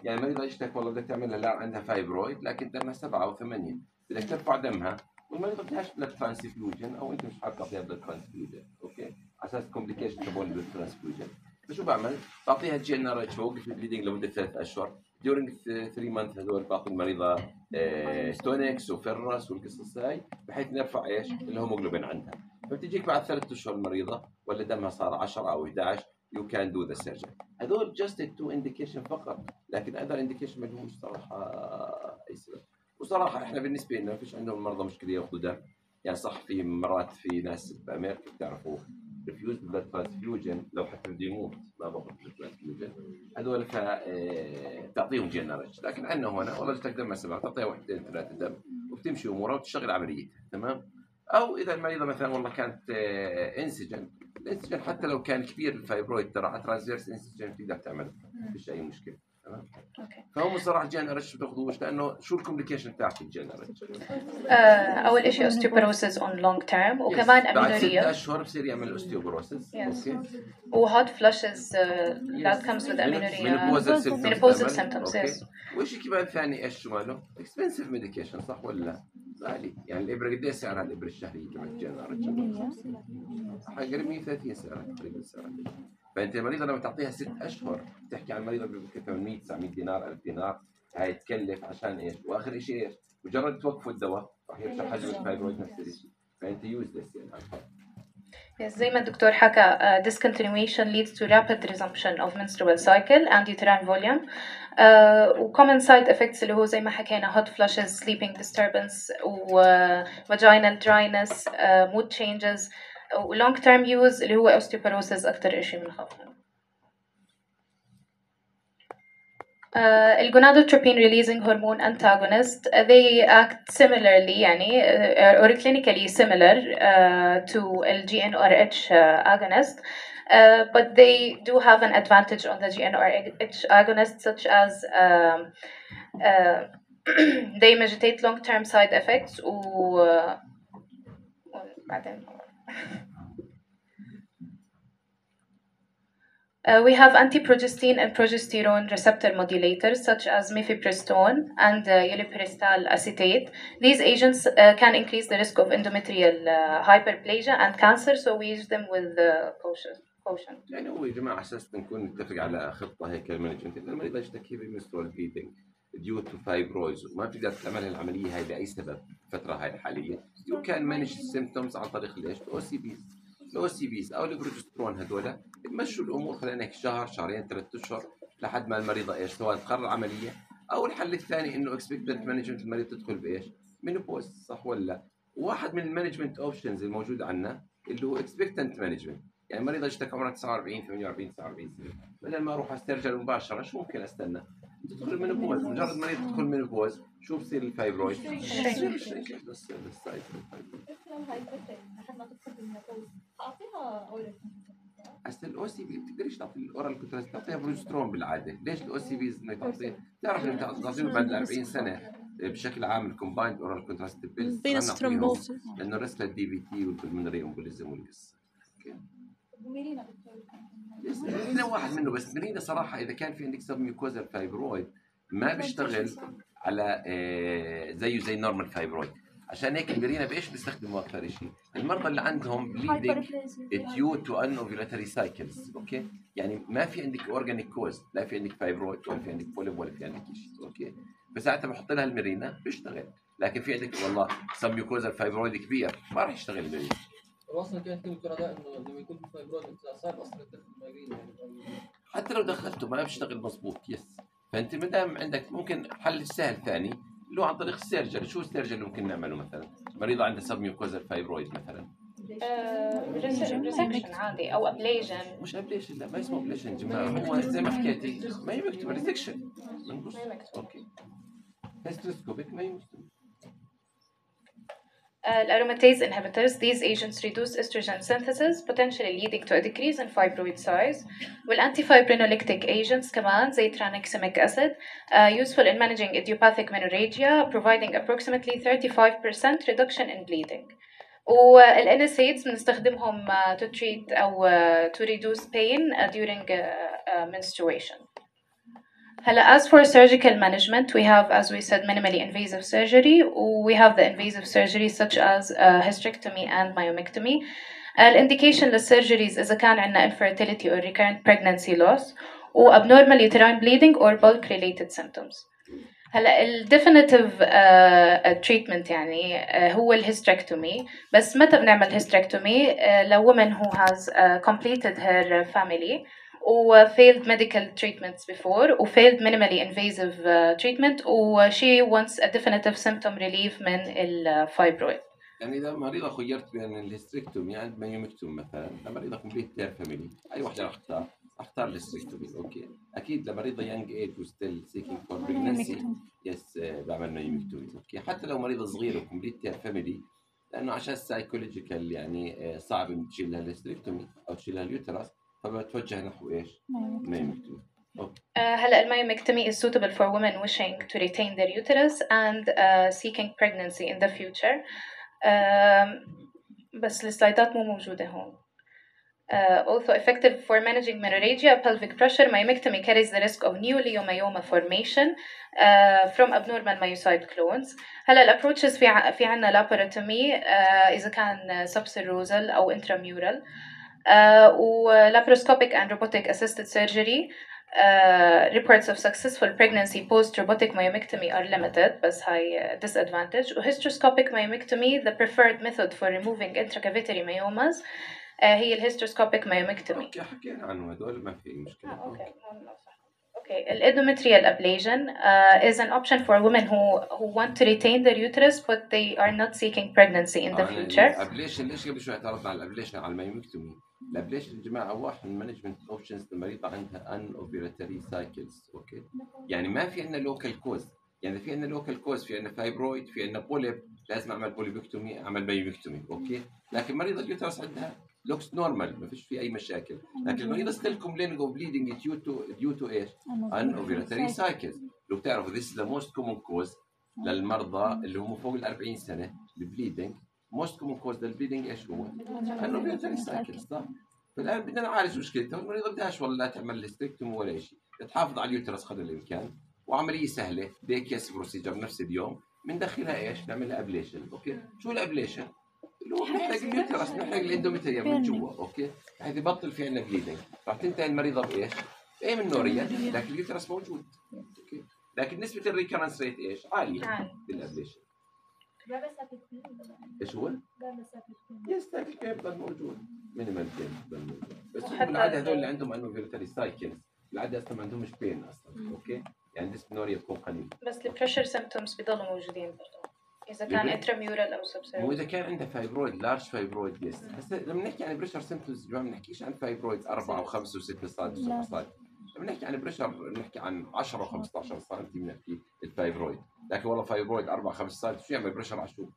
يعني المريضه اشتكت والله بدك تعملها لا عندها فايبرويد لكن دمها سبعه او ثمانيه، بدك ترفع دمها والمريضه بدهاش بلاد ترانسفيوجن او انت مش حابب تعطيها بلاد ترانسفيوجن، اوكي؟ على اساس كومبليكيشن تبون بلاد ترانسفيوجن. فشو بعمل؟ بعطيها جي ان ار اتش بوقف البليدنج لمده ثلاث اشهر. ديورنج ثلاث مانث هذول بعطي المريضه اه تونكس وفرس والقصص هاي بحيث نرفع ايش؟ الهيموجلوبين عندها. فبتجيك بعد ثلاث اشهر المريضه ولا دمها صار عشرة او احد عشر you can do the surgery. هذول just two indication فقط، لكن other indication ما لهمش صراحه اي سبب. وصراحه احنا بالنسبه لنا ما فيش عندهم المرضى مشكله ياخذوا دم. يعني صح في مرات في ناس بامريكا بتعرفوا ريفيوز بلاد ترانسفيوجن لو حتى بده يموت ما باخذ بلاد ترانسفيوجن، هذول ف تعطيهم جي ان ار اتش. لكن عندنا هنا والله بدك دم سبعه تعطيها واحدين ثلاثه دم وبتمشي امورها وتشتغل عمليتها، تمام؟ او اذا المريضه مثلا والله كانت انسجن، الانسجن حتى لو كان كبير الفايبرويد ترى ترانسفيرس انسجن بتقدر تعمل ما فيش اي مشكله، تمام؟ اوكي. فهم صراحه جي ان ار اتش بتاخذوش لانه شو الكومبليكيشن تاعت الجي ان ار اتش؟ اول شيء اوستيوبروسيس اون لونج تيرم وكمان امينوريا. بعد ست اشهر بصير يعمل اوستيوبروسيس، اوكي؟ وهوت فلاشز that comes with amenorrhea. menopausal symptoms. يس. وشيء كمان ثاني ايش شو ماله؟ اكسبنسيف ميديكيشن صح ولا لا؟ غالي، يعني الابره قد ايش سعرها الابره الشهريه تبع الجي ان ار اتش؟ حاجه مية وثلاثين سعرها تقريبا سعرها. فانت المريضه لما تعطيها ست اشهر بتحكي عن مريضه ب ثمانمية تسعمية دينار ألف دينار، هاي تكلف عشان ايش؟ واخر شيء ايش؟ مجرد توقفوا الدواء راح يرجع حجم الفايبرويد نفس الشيء، فانت يوز ذس يعني. Yes, زي ما الدكتور حكى uh, discontinuation leads to rapid resumption of menstrual cycle and uterine volume. Uh, و common side effects اللي هو زي ما حكينا hot flushes, sleeping disturbance و uh, vaginal dryness, uh, mood changes و long term use اللي هو osteoporosis أكتر إشي بنخاف منه. Uh, الgonadotropin releasing hormone antagonist uh, they act similarly يعني uh, or clinically similar uh, to the G n R H uh, agonist uh, but they do have an advantage on the G n R H agonist such as um, uh, they mitigate long-term side effects و uh, بعدين Uh, we have anti-progestin and progesterone receptor modulators such as mifepristone and uh, ulipristal acetate. These agents uh, can increase the risk of endometrial uh, hyperplasia and cancer, so we use them with uh, caution. caution. يعني هو يا جماعه اساس نكون نتفق على خطه هيك المانجمنت. المريض يشتكي بمنسترول بليدنج ديو تو فايبرويز وما بتقدر تعمل العمليه هاي لاي سبب الفتره هاي الحاليه. يو كان مانج السيمبتومز عن طريق ليش؟ الاو سي بيز. الاو سي بيز او البروجسترون هذول بمشوا الامور خلينا هيك شهر شهرين ثلاث اشهر لحد ما المريضه ايش سواء تقرر عمليه او الحل الثاني انه اكسبكتنت مانجمنت المريض تدخل بايش؟ مينوبوز صح ولا لا؟ واحد من المانجمنت اوبشنز الموجود عندنا اللي هو اكسبكتنت مانجمنت. يعني المريضه اشتكى عمرها تسعة وأربعين ثمانية وأربعين تسعة وأربعين سنه بدل ما اروح استرجل مباشره شو ممكن استنى؟ تدخل المينوبوز مجرد المريض تدخل المينوبوز شو بصير الفايبرويد؟ بس السايز اعطيها اورال هسه الاو سي بي بتقدريش تعطي الاورال كونتراست تعطيها بروجسترون بالعاده. ليش الاو سي بي انك تعطيه؟ بتعرف انك تعطيه بعد أربعين سنه بشكل عام الكومبايند اورال كونتراست بيلز لانه الريسك للدي بي تي والبلمونري امبوليزم والقصه. وميرينا يس ميرينا واحد منه بس ميرينا صراحه اذا كان في عندك سب ميوكوزال فايبرويد ما بيشتغل على آه زيه زي نورمال فايبرويد. عشان هيك الميرينا بايش بيستخدموا اكثر شيء؟ المرضى اللي عندهم بليدنج ديو تو ان اوفيولاتوري سايكلز اوكي؟ يعني ما في عندك اورجانيك كوز لا في عندك فايبرويد ولا في عندك بوليب ولا في عندك شيء اوكي؟ فساعتها بحط لها الميرينا بيشتغل. لكن في عندك والله سب ميوكوزال فايبرويد كبير ما راح يشتغل الميرينا. اصلا كانت كلمه دكتور انه لما يكون في فايبرويد صعب اصلا تدخل المايجرين يعني حتى لو دخلته ما بيشتغل مضبوط يس. فانت ما دام عندك ممكن حل سهل ثاني اللي هو عن طريق السيرجري. شو السيرجري اللي ممكن نعمله مثلا؟ مريضه عندها سب ميوكوزال فايبرويد مثلا ريسكشن عادي او ابليجن. مش ابليجن لا ما اسمه ابليجن يا جماعه هو زي ما حكيتي ما هي مكتوبه ريسكشن اوكي هيستروسكوبيك ما هي مكتوبه. Uh, aromatase inhibitors, these agents reduce estrogen synthesis, potentially leading to a decrease in fibroid size. والantifibrinolytic agents كمان زي tranexamic acid, uh, useful in managing idiopathic menorrhagia, providing approximately thirty-five percent reduction in bleeding. وال N SAIDs بنستخدمهم uh, to treat أو uh, to reduce pain uh, during uh, uh, menstruation. هلا as for surgical management we have as we said minimally invasive surgery we have the invasive surgery such as uh, hysterectomy and myomectomy. الانdication للsurgeries إذا كان عندنا infertility or recurrent pregnancy loss و abnormal uterine bleeding or bulk related symptoms. هلا ال definitive uh, treatment يعني uh, هو الهيستريكتومي. بس متى بنعمل هيستريكتومي؟ uh, لو woman who has uh, completed her family و failed medical treatments before و failed minimally invasive uh, treatment و she wants a definitive symptom relief من الفايبرويد. يعني إذا مريضة خيرت بين الهيستريكتومي عند مايومكتوم مثلا لمريضة كومبليت تير فاميلي أي واحدة راح أختار؟ أختار الهيستريكتومي أوكي. أكيد لمريضة يانج إيج وستيل سيكينج فور بريجنسي يس بعمل مايومكتومي أوكي. حتى لو مريضة صغيرة وكومبليت تير فاميلي لأنه عشان سايكولوجيكال يعني صعب تشيل لها الهيستريكتومي أو تشيل لها اليوتراس فبتوجه نحو إيش؟ مايومكتومي. Uh, هلا المايومكتومي is suitable for women wishing to retain their uterus and uh, seeking pregnancy in the future. Uh, بس السلايدات مو موجودة هون. Uh, also effective for managing menorrhagia, pelvic pressure, myomectomy carries the risk of new leiomyoma formation uh, from abnormal myocyte clones. هلا الابروتشز في ع- في عنا laparotomy uh, إذا كان subserosal أو intramural. Uh, و laparoscopic and robotic assisted surgery. Uh, reports of successful pregnancy post robotic myomectomy are limited بس هاي disadvantage. و hysteroscopic myomectomy the preferred method for removing intracavitary myomas uh, هي ال hysteroscopic myomectomy. أوكي حكينا عنه هدول ما في مشكلة. آه, أوكي. Okay, endometrial ablation uh, is an option for women who who want to retain their uterus but they are not seeking pregnancy in the آه future. الابليشن ليش قبل شوي اعترضنا على الابليشن على المايومكتومي؟ الابليشن يا جماعه واحد من مانجمنت اوبشنز المريضه عندها ان اوفيولاتوري سايكلز اوكي. يعني ما في عندنا لوكال كوز. يعني في عندنا لوكال كوز في عندنا فايبرويد في عندنا بوليب لازم اعمل بوليبكتومي اعمل مايومكتومي اوكي. لكن مريضه اليوترس عندها لوكس نورمال ما فيش في اي مشاكل. لكن المريضه ستيل كومبلينج اوف بليدنج ديو تو ديو تو ايش؟ ان اوفيولاتوري سايكلز. لو بتعرفوا ذيس ذا موست كومن كوز للمرضى اللي هم فوق ال أربعين سنه البليدنج. موست كومن كوز للبليدنج ايش هو؟ ان اوفيولاتوري سايكلز صح؟ فالان بدنا نعالج مشكلتها، والمريضه بدهاش والله تعمل هيستريكتومي ولا شيء، تحافظ على اليوترس قدر الامكان، وعمليه سهله دي كيس بروسيجر نفس اليوم، بندخلها ايش؟ نعملها ابليشن. اوكي، شو الابليشن؟ اللي هو بنحرق اليوترس، بنحرق الاندوميتريوم من جوا. اوكي، بحيث يبطل في عندنا بليدنج، راح تنتهي المريضه بايش؟ اي من نوريا، لكن اليوترس موجود. اوكي، لكن نسبه الريكرنس ريت ايش؟ عاليه بالابليشن. ايش هو؟ يس بين بضل موجود، مينيمال بين بضل موجود، بس بالعاده هذول اللي عندهم انوفيرتري سايكلز بالعاده اصلا ما عندهمش بين اصلا. اوكي، يعني ديسبنوريا بتكون قليل، بس البريشر سيمبتومز بيضلوا موجودين برضه اذا كان انتراميورال او سبسيرفيس. مو اذا كان عنده فايبرويد لارج فايبرويد. يس، هسه لما نحكي عن بريشر سيمبتومز ما بنحكيش عن فايبرويد أربعة وخمسة وستة سم وسبعة سم، لما نحكي عن بريشر بنحكي عن عشرة وخمسطعش سم بنحكي الفايبرويد. لكن والله فايبرويد أربعة خمسة سم شو يعمل بريشر على شو؟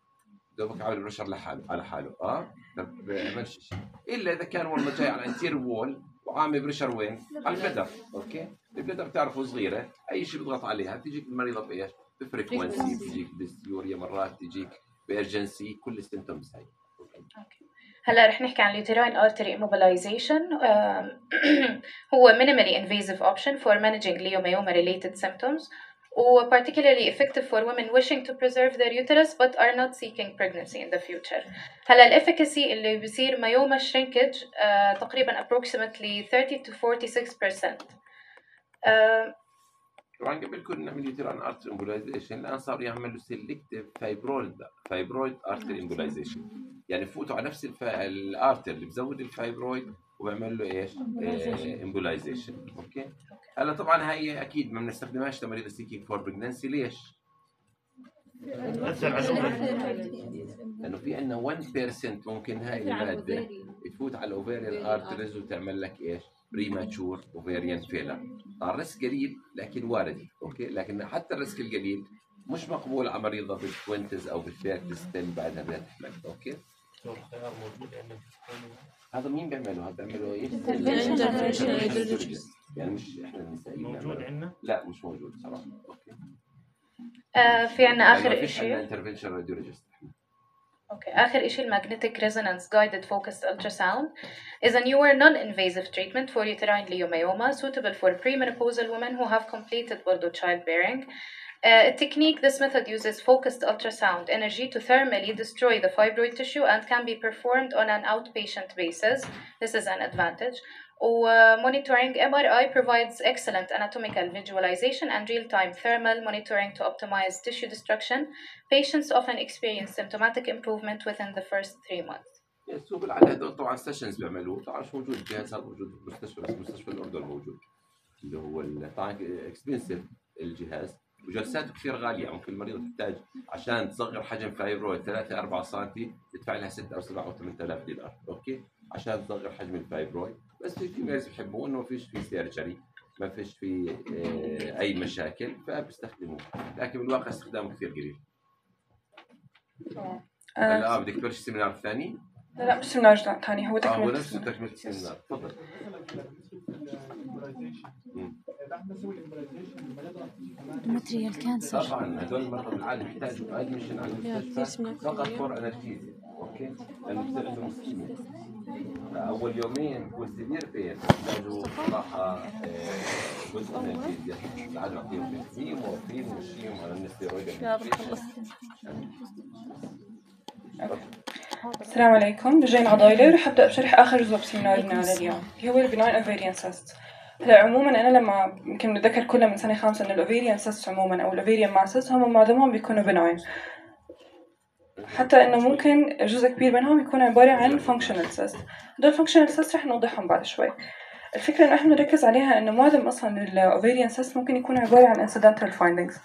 دوبك عامل بريشر لحاله على حاله. اه ما بيعملش شيء الا اذا كان والله جاي على انتير وول وعامل بريشر وين؟ على البلدر. اوكي، البلدر بتعرفوا صغيره، اي شيء بيضغط عليها بتجيك المريضه بايش؟ بفريكونسي، بتجيك بسيوريا مرات، بتجيك بارجنسي، كل السيمبتومز هاي. اوكي، هلا رح نحكي عن اليوتراين artery immobilization. هو minimally invasive option for managing leiomyoma related symptoms و particularly effective for women wishing to preserve their uterus but are not seeking pregnancy in the future. هلا الافيكاسي اللي بيصير myoma shrinkage uh, تقريبا approximately thirty to forty-six percent. uh, طبعا قبل كنا نعمل يوتراين ارتري امبولايزيشن، الان صار يعملوا سيلكتيف فايبرويد فايبرويد ارتري امبولايزيشن، يعني فوتوا على نفس الفا... الارتر اللي بزود الفايبرويد وبعمل له ايش؟ امبولايزيشن. اوكي، هلا طبعا هي اكيد ما بنستخدمهاش لمريض سيكينج فور بريجنسي. ليش؟ لانه في عندنا واحد بالمية ممكن هاي الماده تفوت على الاوفيريان ارتريز وتعمل لك ايش؟ بريماتشور اوفيريان فيلر. الريسك قليل لكن وارد. اوكي، لكن حتى الريسك القليل مش مقبول على مريضه بالتوينتز او بالثيرتيز بعدها بدها تحمل. اوكي، الخيار موجود عندنا. هذا مين بيعملوا؟ هذا بيعملوا ايش؟ يعني مش احنا النسائيين موجود عندنا؟ لا مش موجود صراحه. اوكي، آه في عنا اخر شيء انترفنشن راديولوجيست. اوكي، اخر شيء magnetic resonance guided focused ultrasound is a newer non-invasive treatment for uterine leiomyoma suitable for premenopausal women who have completed برضو childbearing. Uh, technique, this method uses focused ultrasound energy to thermally destroy the fibroid tissue and can be performed on an outpatient basis. This is an advantage. Uh, monitoring M R I provides excellent anatomical visualization and real-time thermal monitoring to optimize tissue destruction. Patients often experience symptomatic improvement within the first three months. يس، هو بالعاده هدول طبعا سيشنز بيعملوه، طبعا مش موجود الجهاز هذا موجود بالمستشفى، بس مستشفى الاردن موجود اللي هو طبعا اكسبنسيف الجهاز وجلساته كثير غاليه. ممكن المريض تحتاج عشان تصغر حجم فايبرويد ثلاثة أربعة سم تدفع لها ستة أو سبعة أو ثمانية آلاف دولار. اوكي، عشان تصغر حجم الفايبرويد. بس في فيميلز بيحبوا انه ما فيش في سيرجري، ما فيش في اه اي مشاكل فبيستخدموه، لكن بالواقع استخدامه كثير قليل. هلا اه بدك تبلش السيمينار الثاني؟ لا لا مش سيمينار ثاني، هو تكمله. اه هو نفسه تكمله السيمينار. تفضل. ماتريال كانسر. طبعا هذول المرضى بالعاده بيحتاجوا ادمشن على المستشفى فقط فور انرجيزيا. اوكي، لانه بصير عندهم اسكيميا. اول يومين بكون سيفير بين بيحتاجوا صراحه جزء من الانرجيزيا، بعد نعطيهم فيتامين ومورفين ونمشيهم على الستيرويد. السلام عليكم، رجين عضايلة. رح أبدأ بشرح آخر جزء بسيمينارنا على اليوم اللي هو البناين أوفيريان سيست. هلا عموما أنا لما يمكن نتذكر كلنا من سنة خامسة إنه الأوفيريان سيست عموما أو الأوفيريان ماسس هم معظمهم بيكونوا بناين، حتى إنه ممكن جزء كبير منهم يكون عبارة عن فانكشنال سيست. هدول الفانكشنال سيست رح نوضحهم بعد شوي. الفكرة إنه إحنا نركز عليها إنه معظم أصلاً الأوفيريان سيست ممكن يكون عبارة عن incidental findings.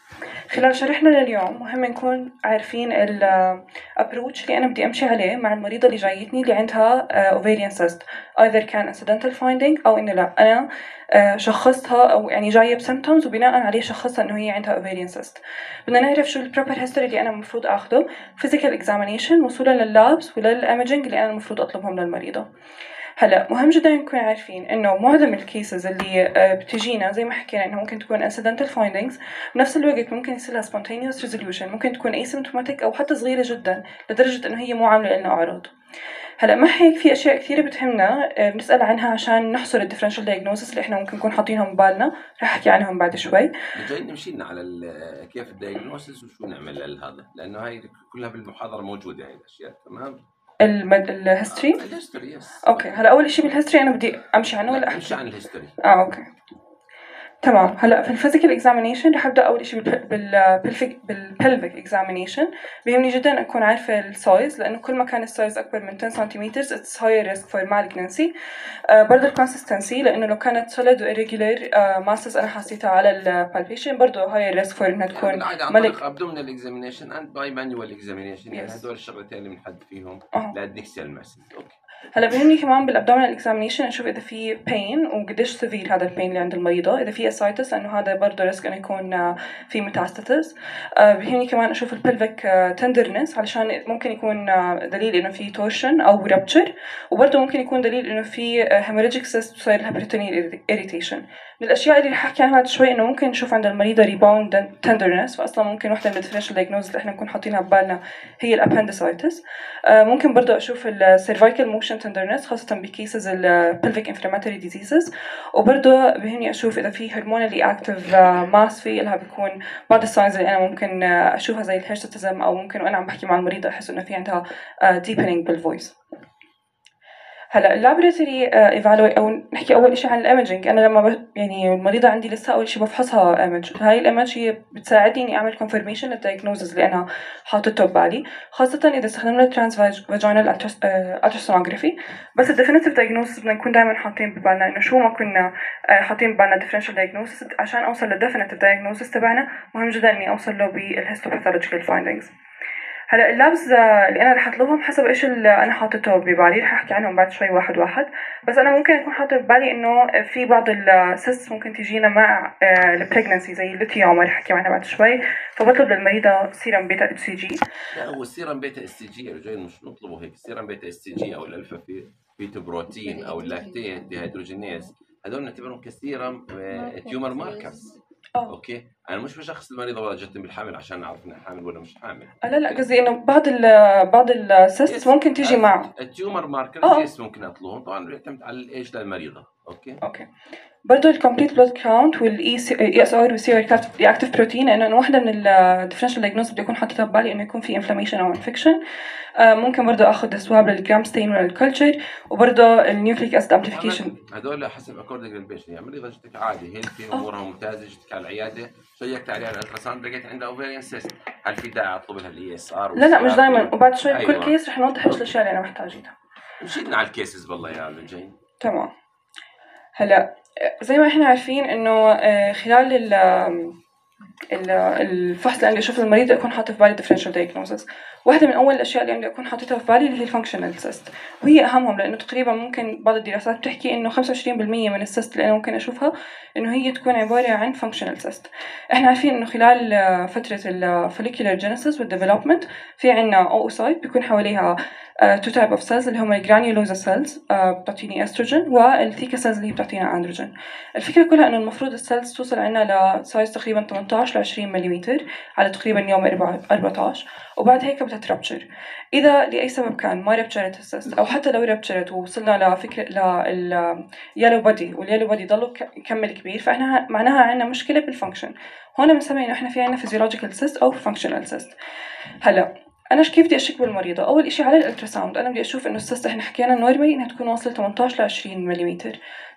خلال شرحنا لليوم مهم نكون عارفين الابروتش اللي أنا بدي أمشي عليه مع المريضة اللي جايتني اللي عندها أوفيريان سيست، either كان incidental finding أو إنه لا أنا شخصتها أو يعني جاية بسيمبتومز وبناء عليه شخصها إنه هي عندها أوفيريان سيست. بدنا نعرف شو البروبر هيستوري اللي أنا المفروض أخذه، physical examination وصولا لللابس وللإيميجينج اللي أنا المفروض أطلبهم للمريضة. هلا مهم جدا نكون عارفين انه معظم الكيسز اللي آه، بتجينا زي ما حكينا انه ممكن تكون incidental findings، بنفس الوقت ممكن يصير لها spontaneous resolution، ممكن تكون asymptomatic او حتى صغيره جدا لدرجه انه هي مو عامله لنا اعراض. هلا مع هيك في اشياء كثيره بتهمنا آه، بنسال عنها عشان نحصر الديفرنشال دايجنوستس اللي احنا ممكن نكون حاطينهم ببالنا، رح احكي عنهم بعد شوي. جاي نمشي لنا على ال- كيف الدايجنوستس وشو نعمل لهذا، لانه هاي كلها بالمحاضره موجوده هاي الاشياء. تمام. المد... الهيستوري. الهيستوري يس. اوكي هلا اول شيء بالهيستوري انا بدي امشي عنه ولا احكي؟ امشي عن الهيستوري. اه اوكي تمام. هلا في الفيزيكال اكزامينيشن رح ابدا اول شيء بالبلفيك بالبلفيك اكزامينيشن. بيهمني جدا اكون عارفه السايز، لانه كل ما كان السايز اكبر من عشرة سنتيمتر اتس هاير ريسك فور مالجنسي. برضه الكونسستنسي، لانه لو كانت سوليد وإيريجولار ماسز انا حسيتها على البالبيشن برضه هاير ريسك فور انها تكون مالك. ابدومينال اكزامينيشن اند باي مانوال اكزامينيشن، يعني هدول الشغلتين اللي بنحدد فيهم للديكسيال ماسز. اوكي هلا بيهمني كمان بالابدومينال اكزامينيشن اشوف اذا في بين وقديش سيفير هذا البين اللي عند المريضه، اذا في اسايتس لانه هذا برضه ريسك انه يكون في ميتاستاسيس. بيهمني كمان اشوف البلفيك تندرنس علشان ممكن يكون دليل انه في تورشن او رابتشر، وبرضه ممكن يكون دليل انه في هيموريجيك سيست وصاير لها بريتونيال اريتيشن. من الاشياء اللي رح احكي عنها بعد شوي انه ممكن نشوف عند المريضه ريباوند تندرنس، فاصلا ممكن وحده من الديفرنشال دايجنوز اللي احنا نكون حاطينها ببالنا هي الابندسايتس. ممكن برضه اشوف السيرفايكال موشن تندرنس خاصه بكيسز البلفيك انفلاماتوري ديزيزز، وبرضه بهمني اشوف اذا في هرمونالي اكتيف ماس في لها. بيكون بعض الساينز اللي انا ممكن اشوفها زي الهيرشتزم، او ممكن وانا عم بحكي مع المريضه احس انه في عندها ديبنينج بالفويس. هلا اللابراتوري ايفالوي او نحكي اول شيء عن الايمجينج. انا لما ب... يعني المريضه عندي لسه اول شيء بفحصها ايمج، هاي الايمج هي بتساعدني اني اعمل كونفirmation للدايجنوزز اللي انا حاطته ببالي، خاصه اذا استخدمنا ترانس فاجينال التراسونوجرافي. بس الديفينيتيف دايجنوزز بدنا نكون دائما حاطين ببالنا انه شو ما كنا حاطين ببالنا ديفرنشال دايجنوزز، عشان اوصل للديفينيتيف دايجنوزز تبعنا مهم جدا اني اوصل له بالهيستوباثولوجيكال فايندينجز. هلا اللابز اللي انا رح اطلبهم حسب ايش اللي انا حاطته ببالي، رح احكي عنهم بعد شوي واحد واحد. بس انا ممكن اكون حاطه ببالي انه في بعض السيست ممكن تجينا مع البريجنسي زي الليثيوما رح احكي عنها بعد شوي، فبطلب للمريضه سيرم بيتا اتش سي جي. لا هو السيرم بيتا اس تي جي رجال مش نطلبه هيك، السيرم بيتا اس تي جي او الالفا بيتا بروتين او اللاكتيت ديهيدروجينيز، هذول نعتبرهم كسيرم تيومر ماركرز. اوكي انا مش بشخص المريضه ولا جتني بالحامل عشان اعرف انها حامل ولا مش حامل. لا لا قصدي انه بعض ال بعض السيست ممكن تيجي مع التيومر ماركرز يس ممكن اطلبهم، طبعا بيعتمد على الايج للمريضه. اوكي اوكي برضه الكومبليت بلود كاونت والاي اي اس ار والسي رياكتيف بروتين، لانه واحده من الديفرنشال دايجنوز بدي اكون حاططها ببالي انه يكون في انفلاميشن او انفكشن. ممكن برضه اخذ سواب للجرام ستين ولا الكلتشر، وبرضه النيوكليك اسيد امبليفيكيشن. هدول حسب اكوردنج للبيشن، يعني مريضه جتك عادي هيلثي امورها ممتازه، جتك على العياده شيكت عليها الالتراساوند لقيت عندها اوفيريان سيست، هل في داعي اطلب لها الاي اس ار؟ لا لا مش دائما، وبعد شوي بكل أيوة. كيس رح نوضح ايش الاشياء اللي انا محتاجينها. مشينا على الكيسز والله يا لجين. تمام. هلا زي ما احنا عارفين انه خلال الفحص اللي عندي اشوف المريض اكون حاطه في بالي differential diagnosis. واحده من اول الاشياء اللي عندي اكون حاطتها في بالي اللي هي الفانكشنال سيست، وهي اهمهم لانه تقريبا ممكن بعض الدراسات بتحكي انه خمسة وعشرين بالمية من السيست اللي انا ممكن اشوفها انه هي تكون عباره عن فانكشنال سيست. احنا عارفين انه خلال فتره الفوليكولار جينيسيس والديفلوبمنت في عندنا اوسايت بيكون حواليها تو تايب اوف سيلز اللي هم الجرانيولوزا سيلز بتعطيني استروجين، والثيكا سيلز اللي بتعطينا اندروجين. الفكره كلها انه المفروض السيلز توصل عندنا لسايز تقريبا ثمانية عشر ل عشرين ملم على تقريبا يوم أربعة عشر، وبعد هيك بتتربشر. اذا لاي سبب كان ما ربشرت السيست، او حتى لو ربشرت ووصلنا لفكره لليلو بودي واليلو بودي ضلوا يكمل كبير، فاحنا معناها عندنا مشكله بالفانكشن. هون بنسمي انه احنا في عندنا فيزيولوجيكال سيست او فانكشنال سيست. هلا انا كيف بدي اشك بالمريضه؟ اول شيء على الالتراساوند انا بدي اشوف انه السيست احنا حكينا نورمالي انها تكون واصله ثمانية عشر ل عشرين ملم.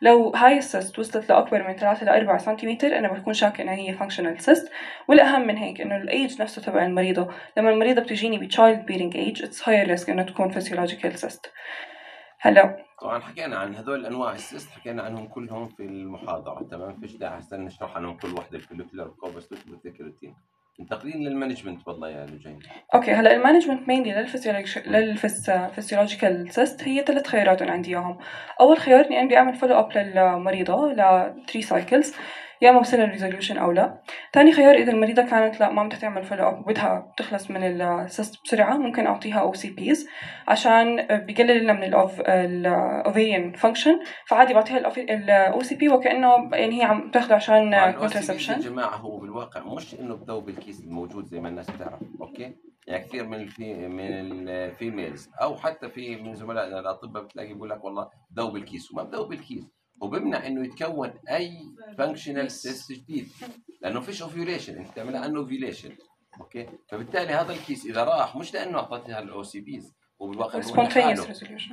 لو هاي السيست وصلت لاكبر من ثلاثة ل أربعة سنتيمتر انا بكون شاكه انها هي فانكشنال سيست. والاهم من هيك انه الايج نفسه تبع المريضه، لما المريضه بتجيني بتشايلد بيرنج ايج اتس هاير ريسك انه تكون فيزيولوجيكال سيست. هلا طبعا حكينا عن هذول انواع السيست، حكينا عنهم كلهم في المحاضره، تمام؟ فيش داعي هسه نشرح عنهم كل وحده، الفوليكولار كوبس والثيكروتين. انتقلين للمانجمنت والله يا لجين. اوكي هلا المانجمنت مينلي للفسيولوجيكال سيست هي ثلاث خيارات انا عندي اياهم. اول خيار اني بدي اعمل فولو اب للمريضه ل ثلاثة سايكلز، يا اما بصير الريزوليوشن او لا. ثاني خيار اذا المريضه كانت لا ما بدها تعمل فولو اب وبدها تخلص من السيست بسرعه، ممكن اعطيها او سي بيز عشان بقلل لنا من الاوفيريان فانكشن، فعادي بعطيها الاو سي بي وكانه يعني هي عم تاخذه عشان كونترسبشن. يا جماعه هو بالواقع مش انه بذوب الكيس الموجود زي ما الناس بتعرف، اوكي؟ يعني كثير من الفي من الفيميلز او حتى في من زملائنا الاطباء بتلاقي بيقول لك والله ذوب الكيس، وما بذوب الكيس، وبمنع انه يتكون اي فانكشنال سيست جديد، لانه فيش اوفيوليشن، انت بتعملها انه اوفيوليشن، اوكي؟ فبالتالي هذا الكيس اذا راح مش لانه اعطيتها الاو سي بيز وبالواقع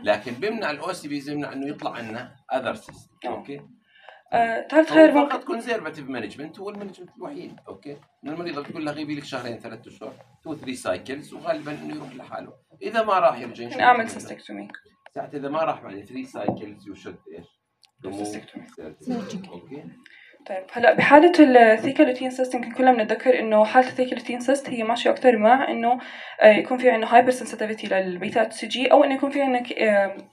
لكن بمنع الاو سي بيز، بمنع انه يطلع عنا اذر سيست، اوكي؟ ثالث خيار فقط كونزرفاتيف مانجمنت هو المانجمنت الوحيد، اوكي؟ ان المريضه بتقول لها غيبي لك شهرين ثلاث اشهر تو ثري سايكلز، وغالبا انه يروح لحاله، اذا ما راح يرجع ممكن اعمل سيستكتومي. ساعتها اذا ما راح بعد ثري سايكلز يشد ايش؟ اوكي. طيب هلا بحالة الثيكالوتين سيست يمكن كلنا بنتذكر انه حالة الثيكالوتين سيست هي ماشية اكثر مع انه يكون في عندنا هايبر سنسيتيفيتي للبيتا اتش سي جي، او انه يكون في عندنا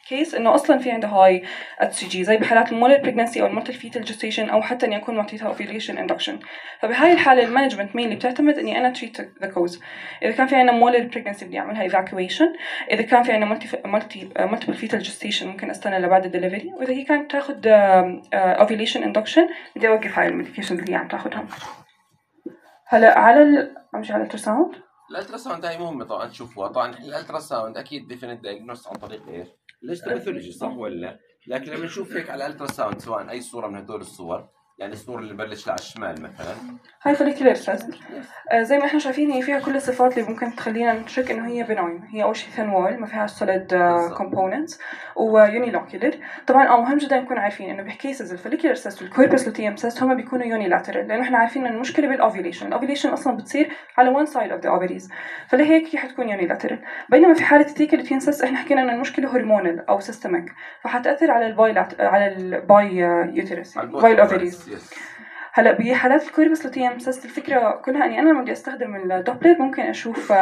كيس انه اصلا في عنده هاي اتش سي جي، زي بحالات المولر بريجنسي او المولتي فيتال جستيشن، او حتى اني اكون معطيتها اوفيليشن اندكشن. فبهاي الحالة المانجمنت مين اللي بتعتمد اني انا تريت ذا كوز. اذا كان في عندنا مولر بريجنسي بدي اعملها ايفاكويشن، اذا كان في عندنا مولتي مولتي مولتيبل فيتال جستيشن ممكن استنى لبعد الدليفري، واذا هي كانت تاخذ اوفيليشن اندكشن بدي اوقف هاي الميديكيشن اللي هي عم تاخذها. هلا على ال... امشي على الالتراساوند. الالتراساوند هاي مهمه طبعا تشوفوها. طبعا الالتراساوند اكيد ديفينيت دايجنوست عن طريق ايش؟ الهيستوباثولوجي، صح ولا؟ لكن لما نشوف هيك على الالتراساوند سواء اي صوره من هدول الصور، يعني الصوره اللي بلش على الشمال مثلا هاي فوليكولار سيست، آه زي ما احنا شايفين هي فيها كل الصفات اللي ممكن تخلينا نشك انه هي بناين. هي اول شيء ثين وول، ما فيها سوليد كومبوننتس، ويونيلوكيولر. طبعا اه مهم جدا نكون عارفين انه بكيسز الفوليكولار سيست والكوربس لوتيوم سيست هم بيكونوا يونيلاترال، لانه احنا عارفين ان المشكله بالاوفيليشن، الاوفيليشن اصلا بتصير على وان سايد اوف ذا اوفريز، فلهيك هي حتكون يونيلاترال. بينما في حاله الثيكالوتين سيست احنا حكينا ان المشكله هرمونال او سيستميك، فحتاثر على الباي على الباي يوتيرس باي الاوفريز. هلا بحالات الكوربس لوتيوم سيست الفكره كلها اني انا لما بدي استخدم الدوبلر ممكن اشوف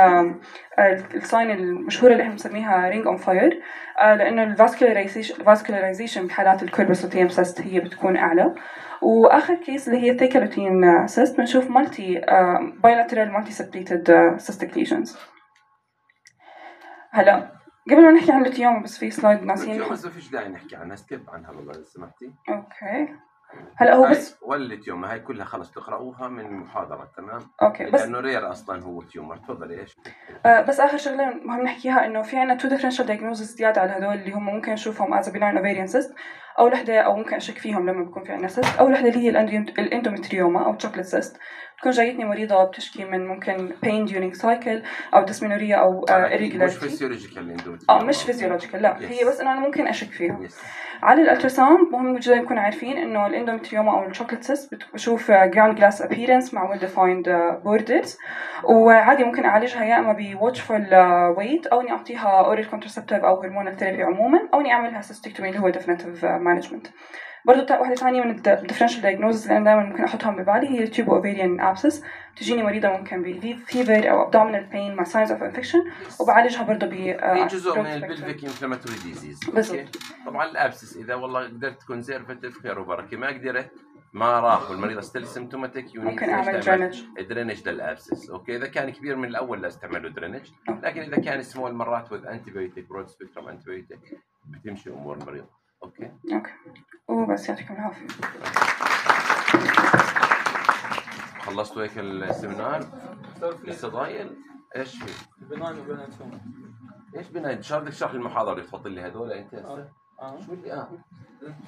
الساين المشهوره اللي احنا بنسميها رينج اون فاير، لانه الفاسكولاريزيشن فاسكولاريزيشن بحالات الكوربس لوتيوم سيست هي بتكون اعلى. واخر كيس اللي هي الثيكالوتين سيست بنشوف مالتي بايلاترال مالتي سبليتد سيستيك ليجنز. هلا قبل ما نحكي عن اللوتيوم بس في سلايد ناسيين. اللوتيوم ما فيش داعي نحكي عنها، سكيب عنها والله لو سمحتي. اوكي. هلا هو بس والتيومر هاي كلها خلص تقرأوها من المحاضرة، تمام؟ اوكي بس لأنه رير أصلا هو تيومر. تفضلي. إيش؟ آه بس آخر شغلة مهم نحكيها إنه في عنا تو differential diagnoses زيادة على هدول اللي هم ممكن نشوفهم as a benign ovarian cyst، أو لحدة أو ممكن أشك فيهم لما بيكون في عنا cyst، أو لحدة اللي هي الاندومتريوما أو chocolate cyst. بتكون جايتني مريضة بتشكي من ممكن pain during cycle أو dysmenorrhea أو uh, irregularity. مش فيزيولوجيكال اه مش فيزيولوجيكال، لا yes. هي بس إنه أنا ممكن أشك فيها. yes. على الالتراساوند مهم جدا نكون عارفين إنه الاندومتريوما أو الشوكليت سيست بشوف ground glass appearance مع well defined borders، وعادي ممكن أعالجها يا إما ب watchful weight أو إني أعطيها oral contraceptive أو hormonal therapy عموما، أو إني أعملها cystectomy اللي هو definitive management. برضو واحدة ثانية من الديفرنشال diagnosis اللي أنا دائما ممكن أحطهم ببالي هي tube ovarian abscess. تجيني مريضة ممكن ب fever أو abdominal pain مع signs of infection، وبعالجها برضو ب هي جزء من البلفيك inflammatory disease. بالضبط. طبعا الابسس إذا والله قدرت conservative خير وبركة، ما قدرت ما راح والمريضة still symptomatic ممكن أعمل درينج درينج للابسس. أوكي إذا كان كبير من الأول لا استعمله درينج، لكن إذا كان small مرات with antibiotic broad spectrum antibiotic بتمشي أمور المريض. أوكي. أوكي. وبس يعطيكم العافية. خلصتوا هيك السيمينار؟ لسه ضايل؟ ايش في؟ بناين وبناين شو؟ ايش بناين؟ شو بدك تشرح المحاضرة اللي تفضل لي هدول انت هسه؟ اه شو اللي اه؟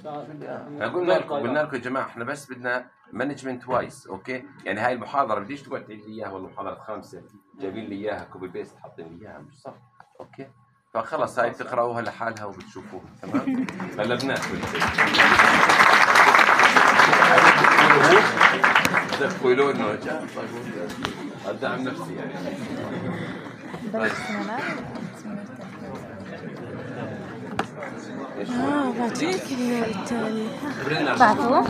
شو اللي اه؟ قلنا لكم قلنا لكم يا جماعة احنا بس بدنا مانجمنت وايز، اوكي؟ يعني هاي المحاضرة بديش تقعد تعيد لي اياها والله محاضرة خمسة جايبين لي اياها كوبي بيست حاطين لي اياها، مش صح؟ اوكي؟ فخلص هاي بتقرأوها لحالها وبتشوفوها، تمام؟ غلبناك تقولوا انه جاء ادعم نفسي يعني. اه بعطيك التالي بعثوه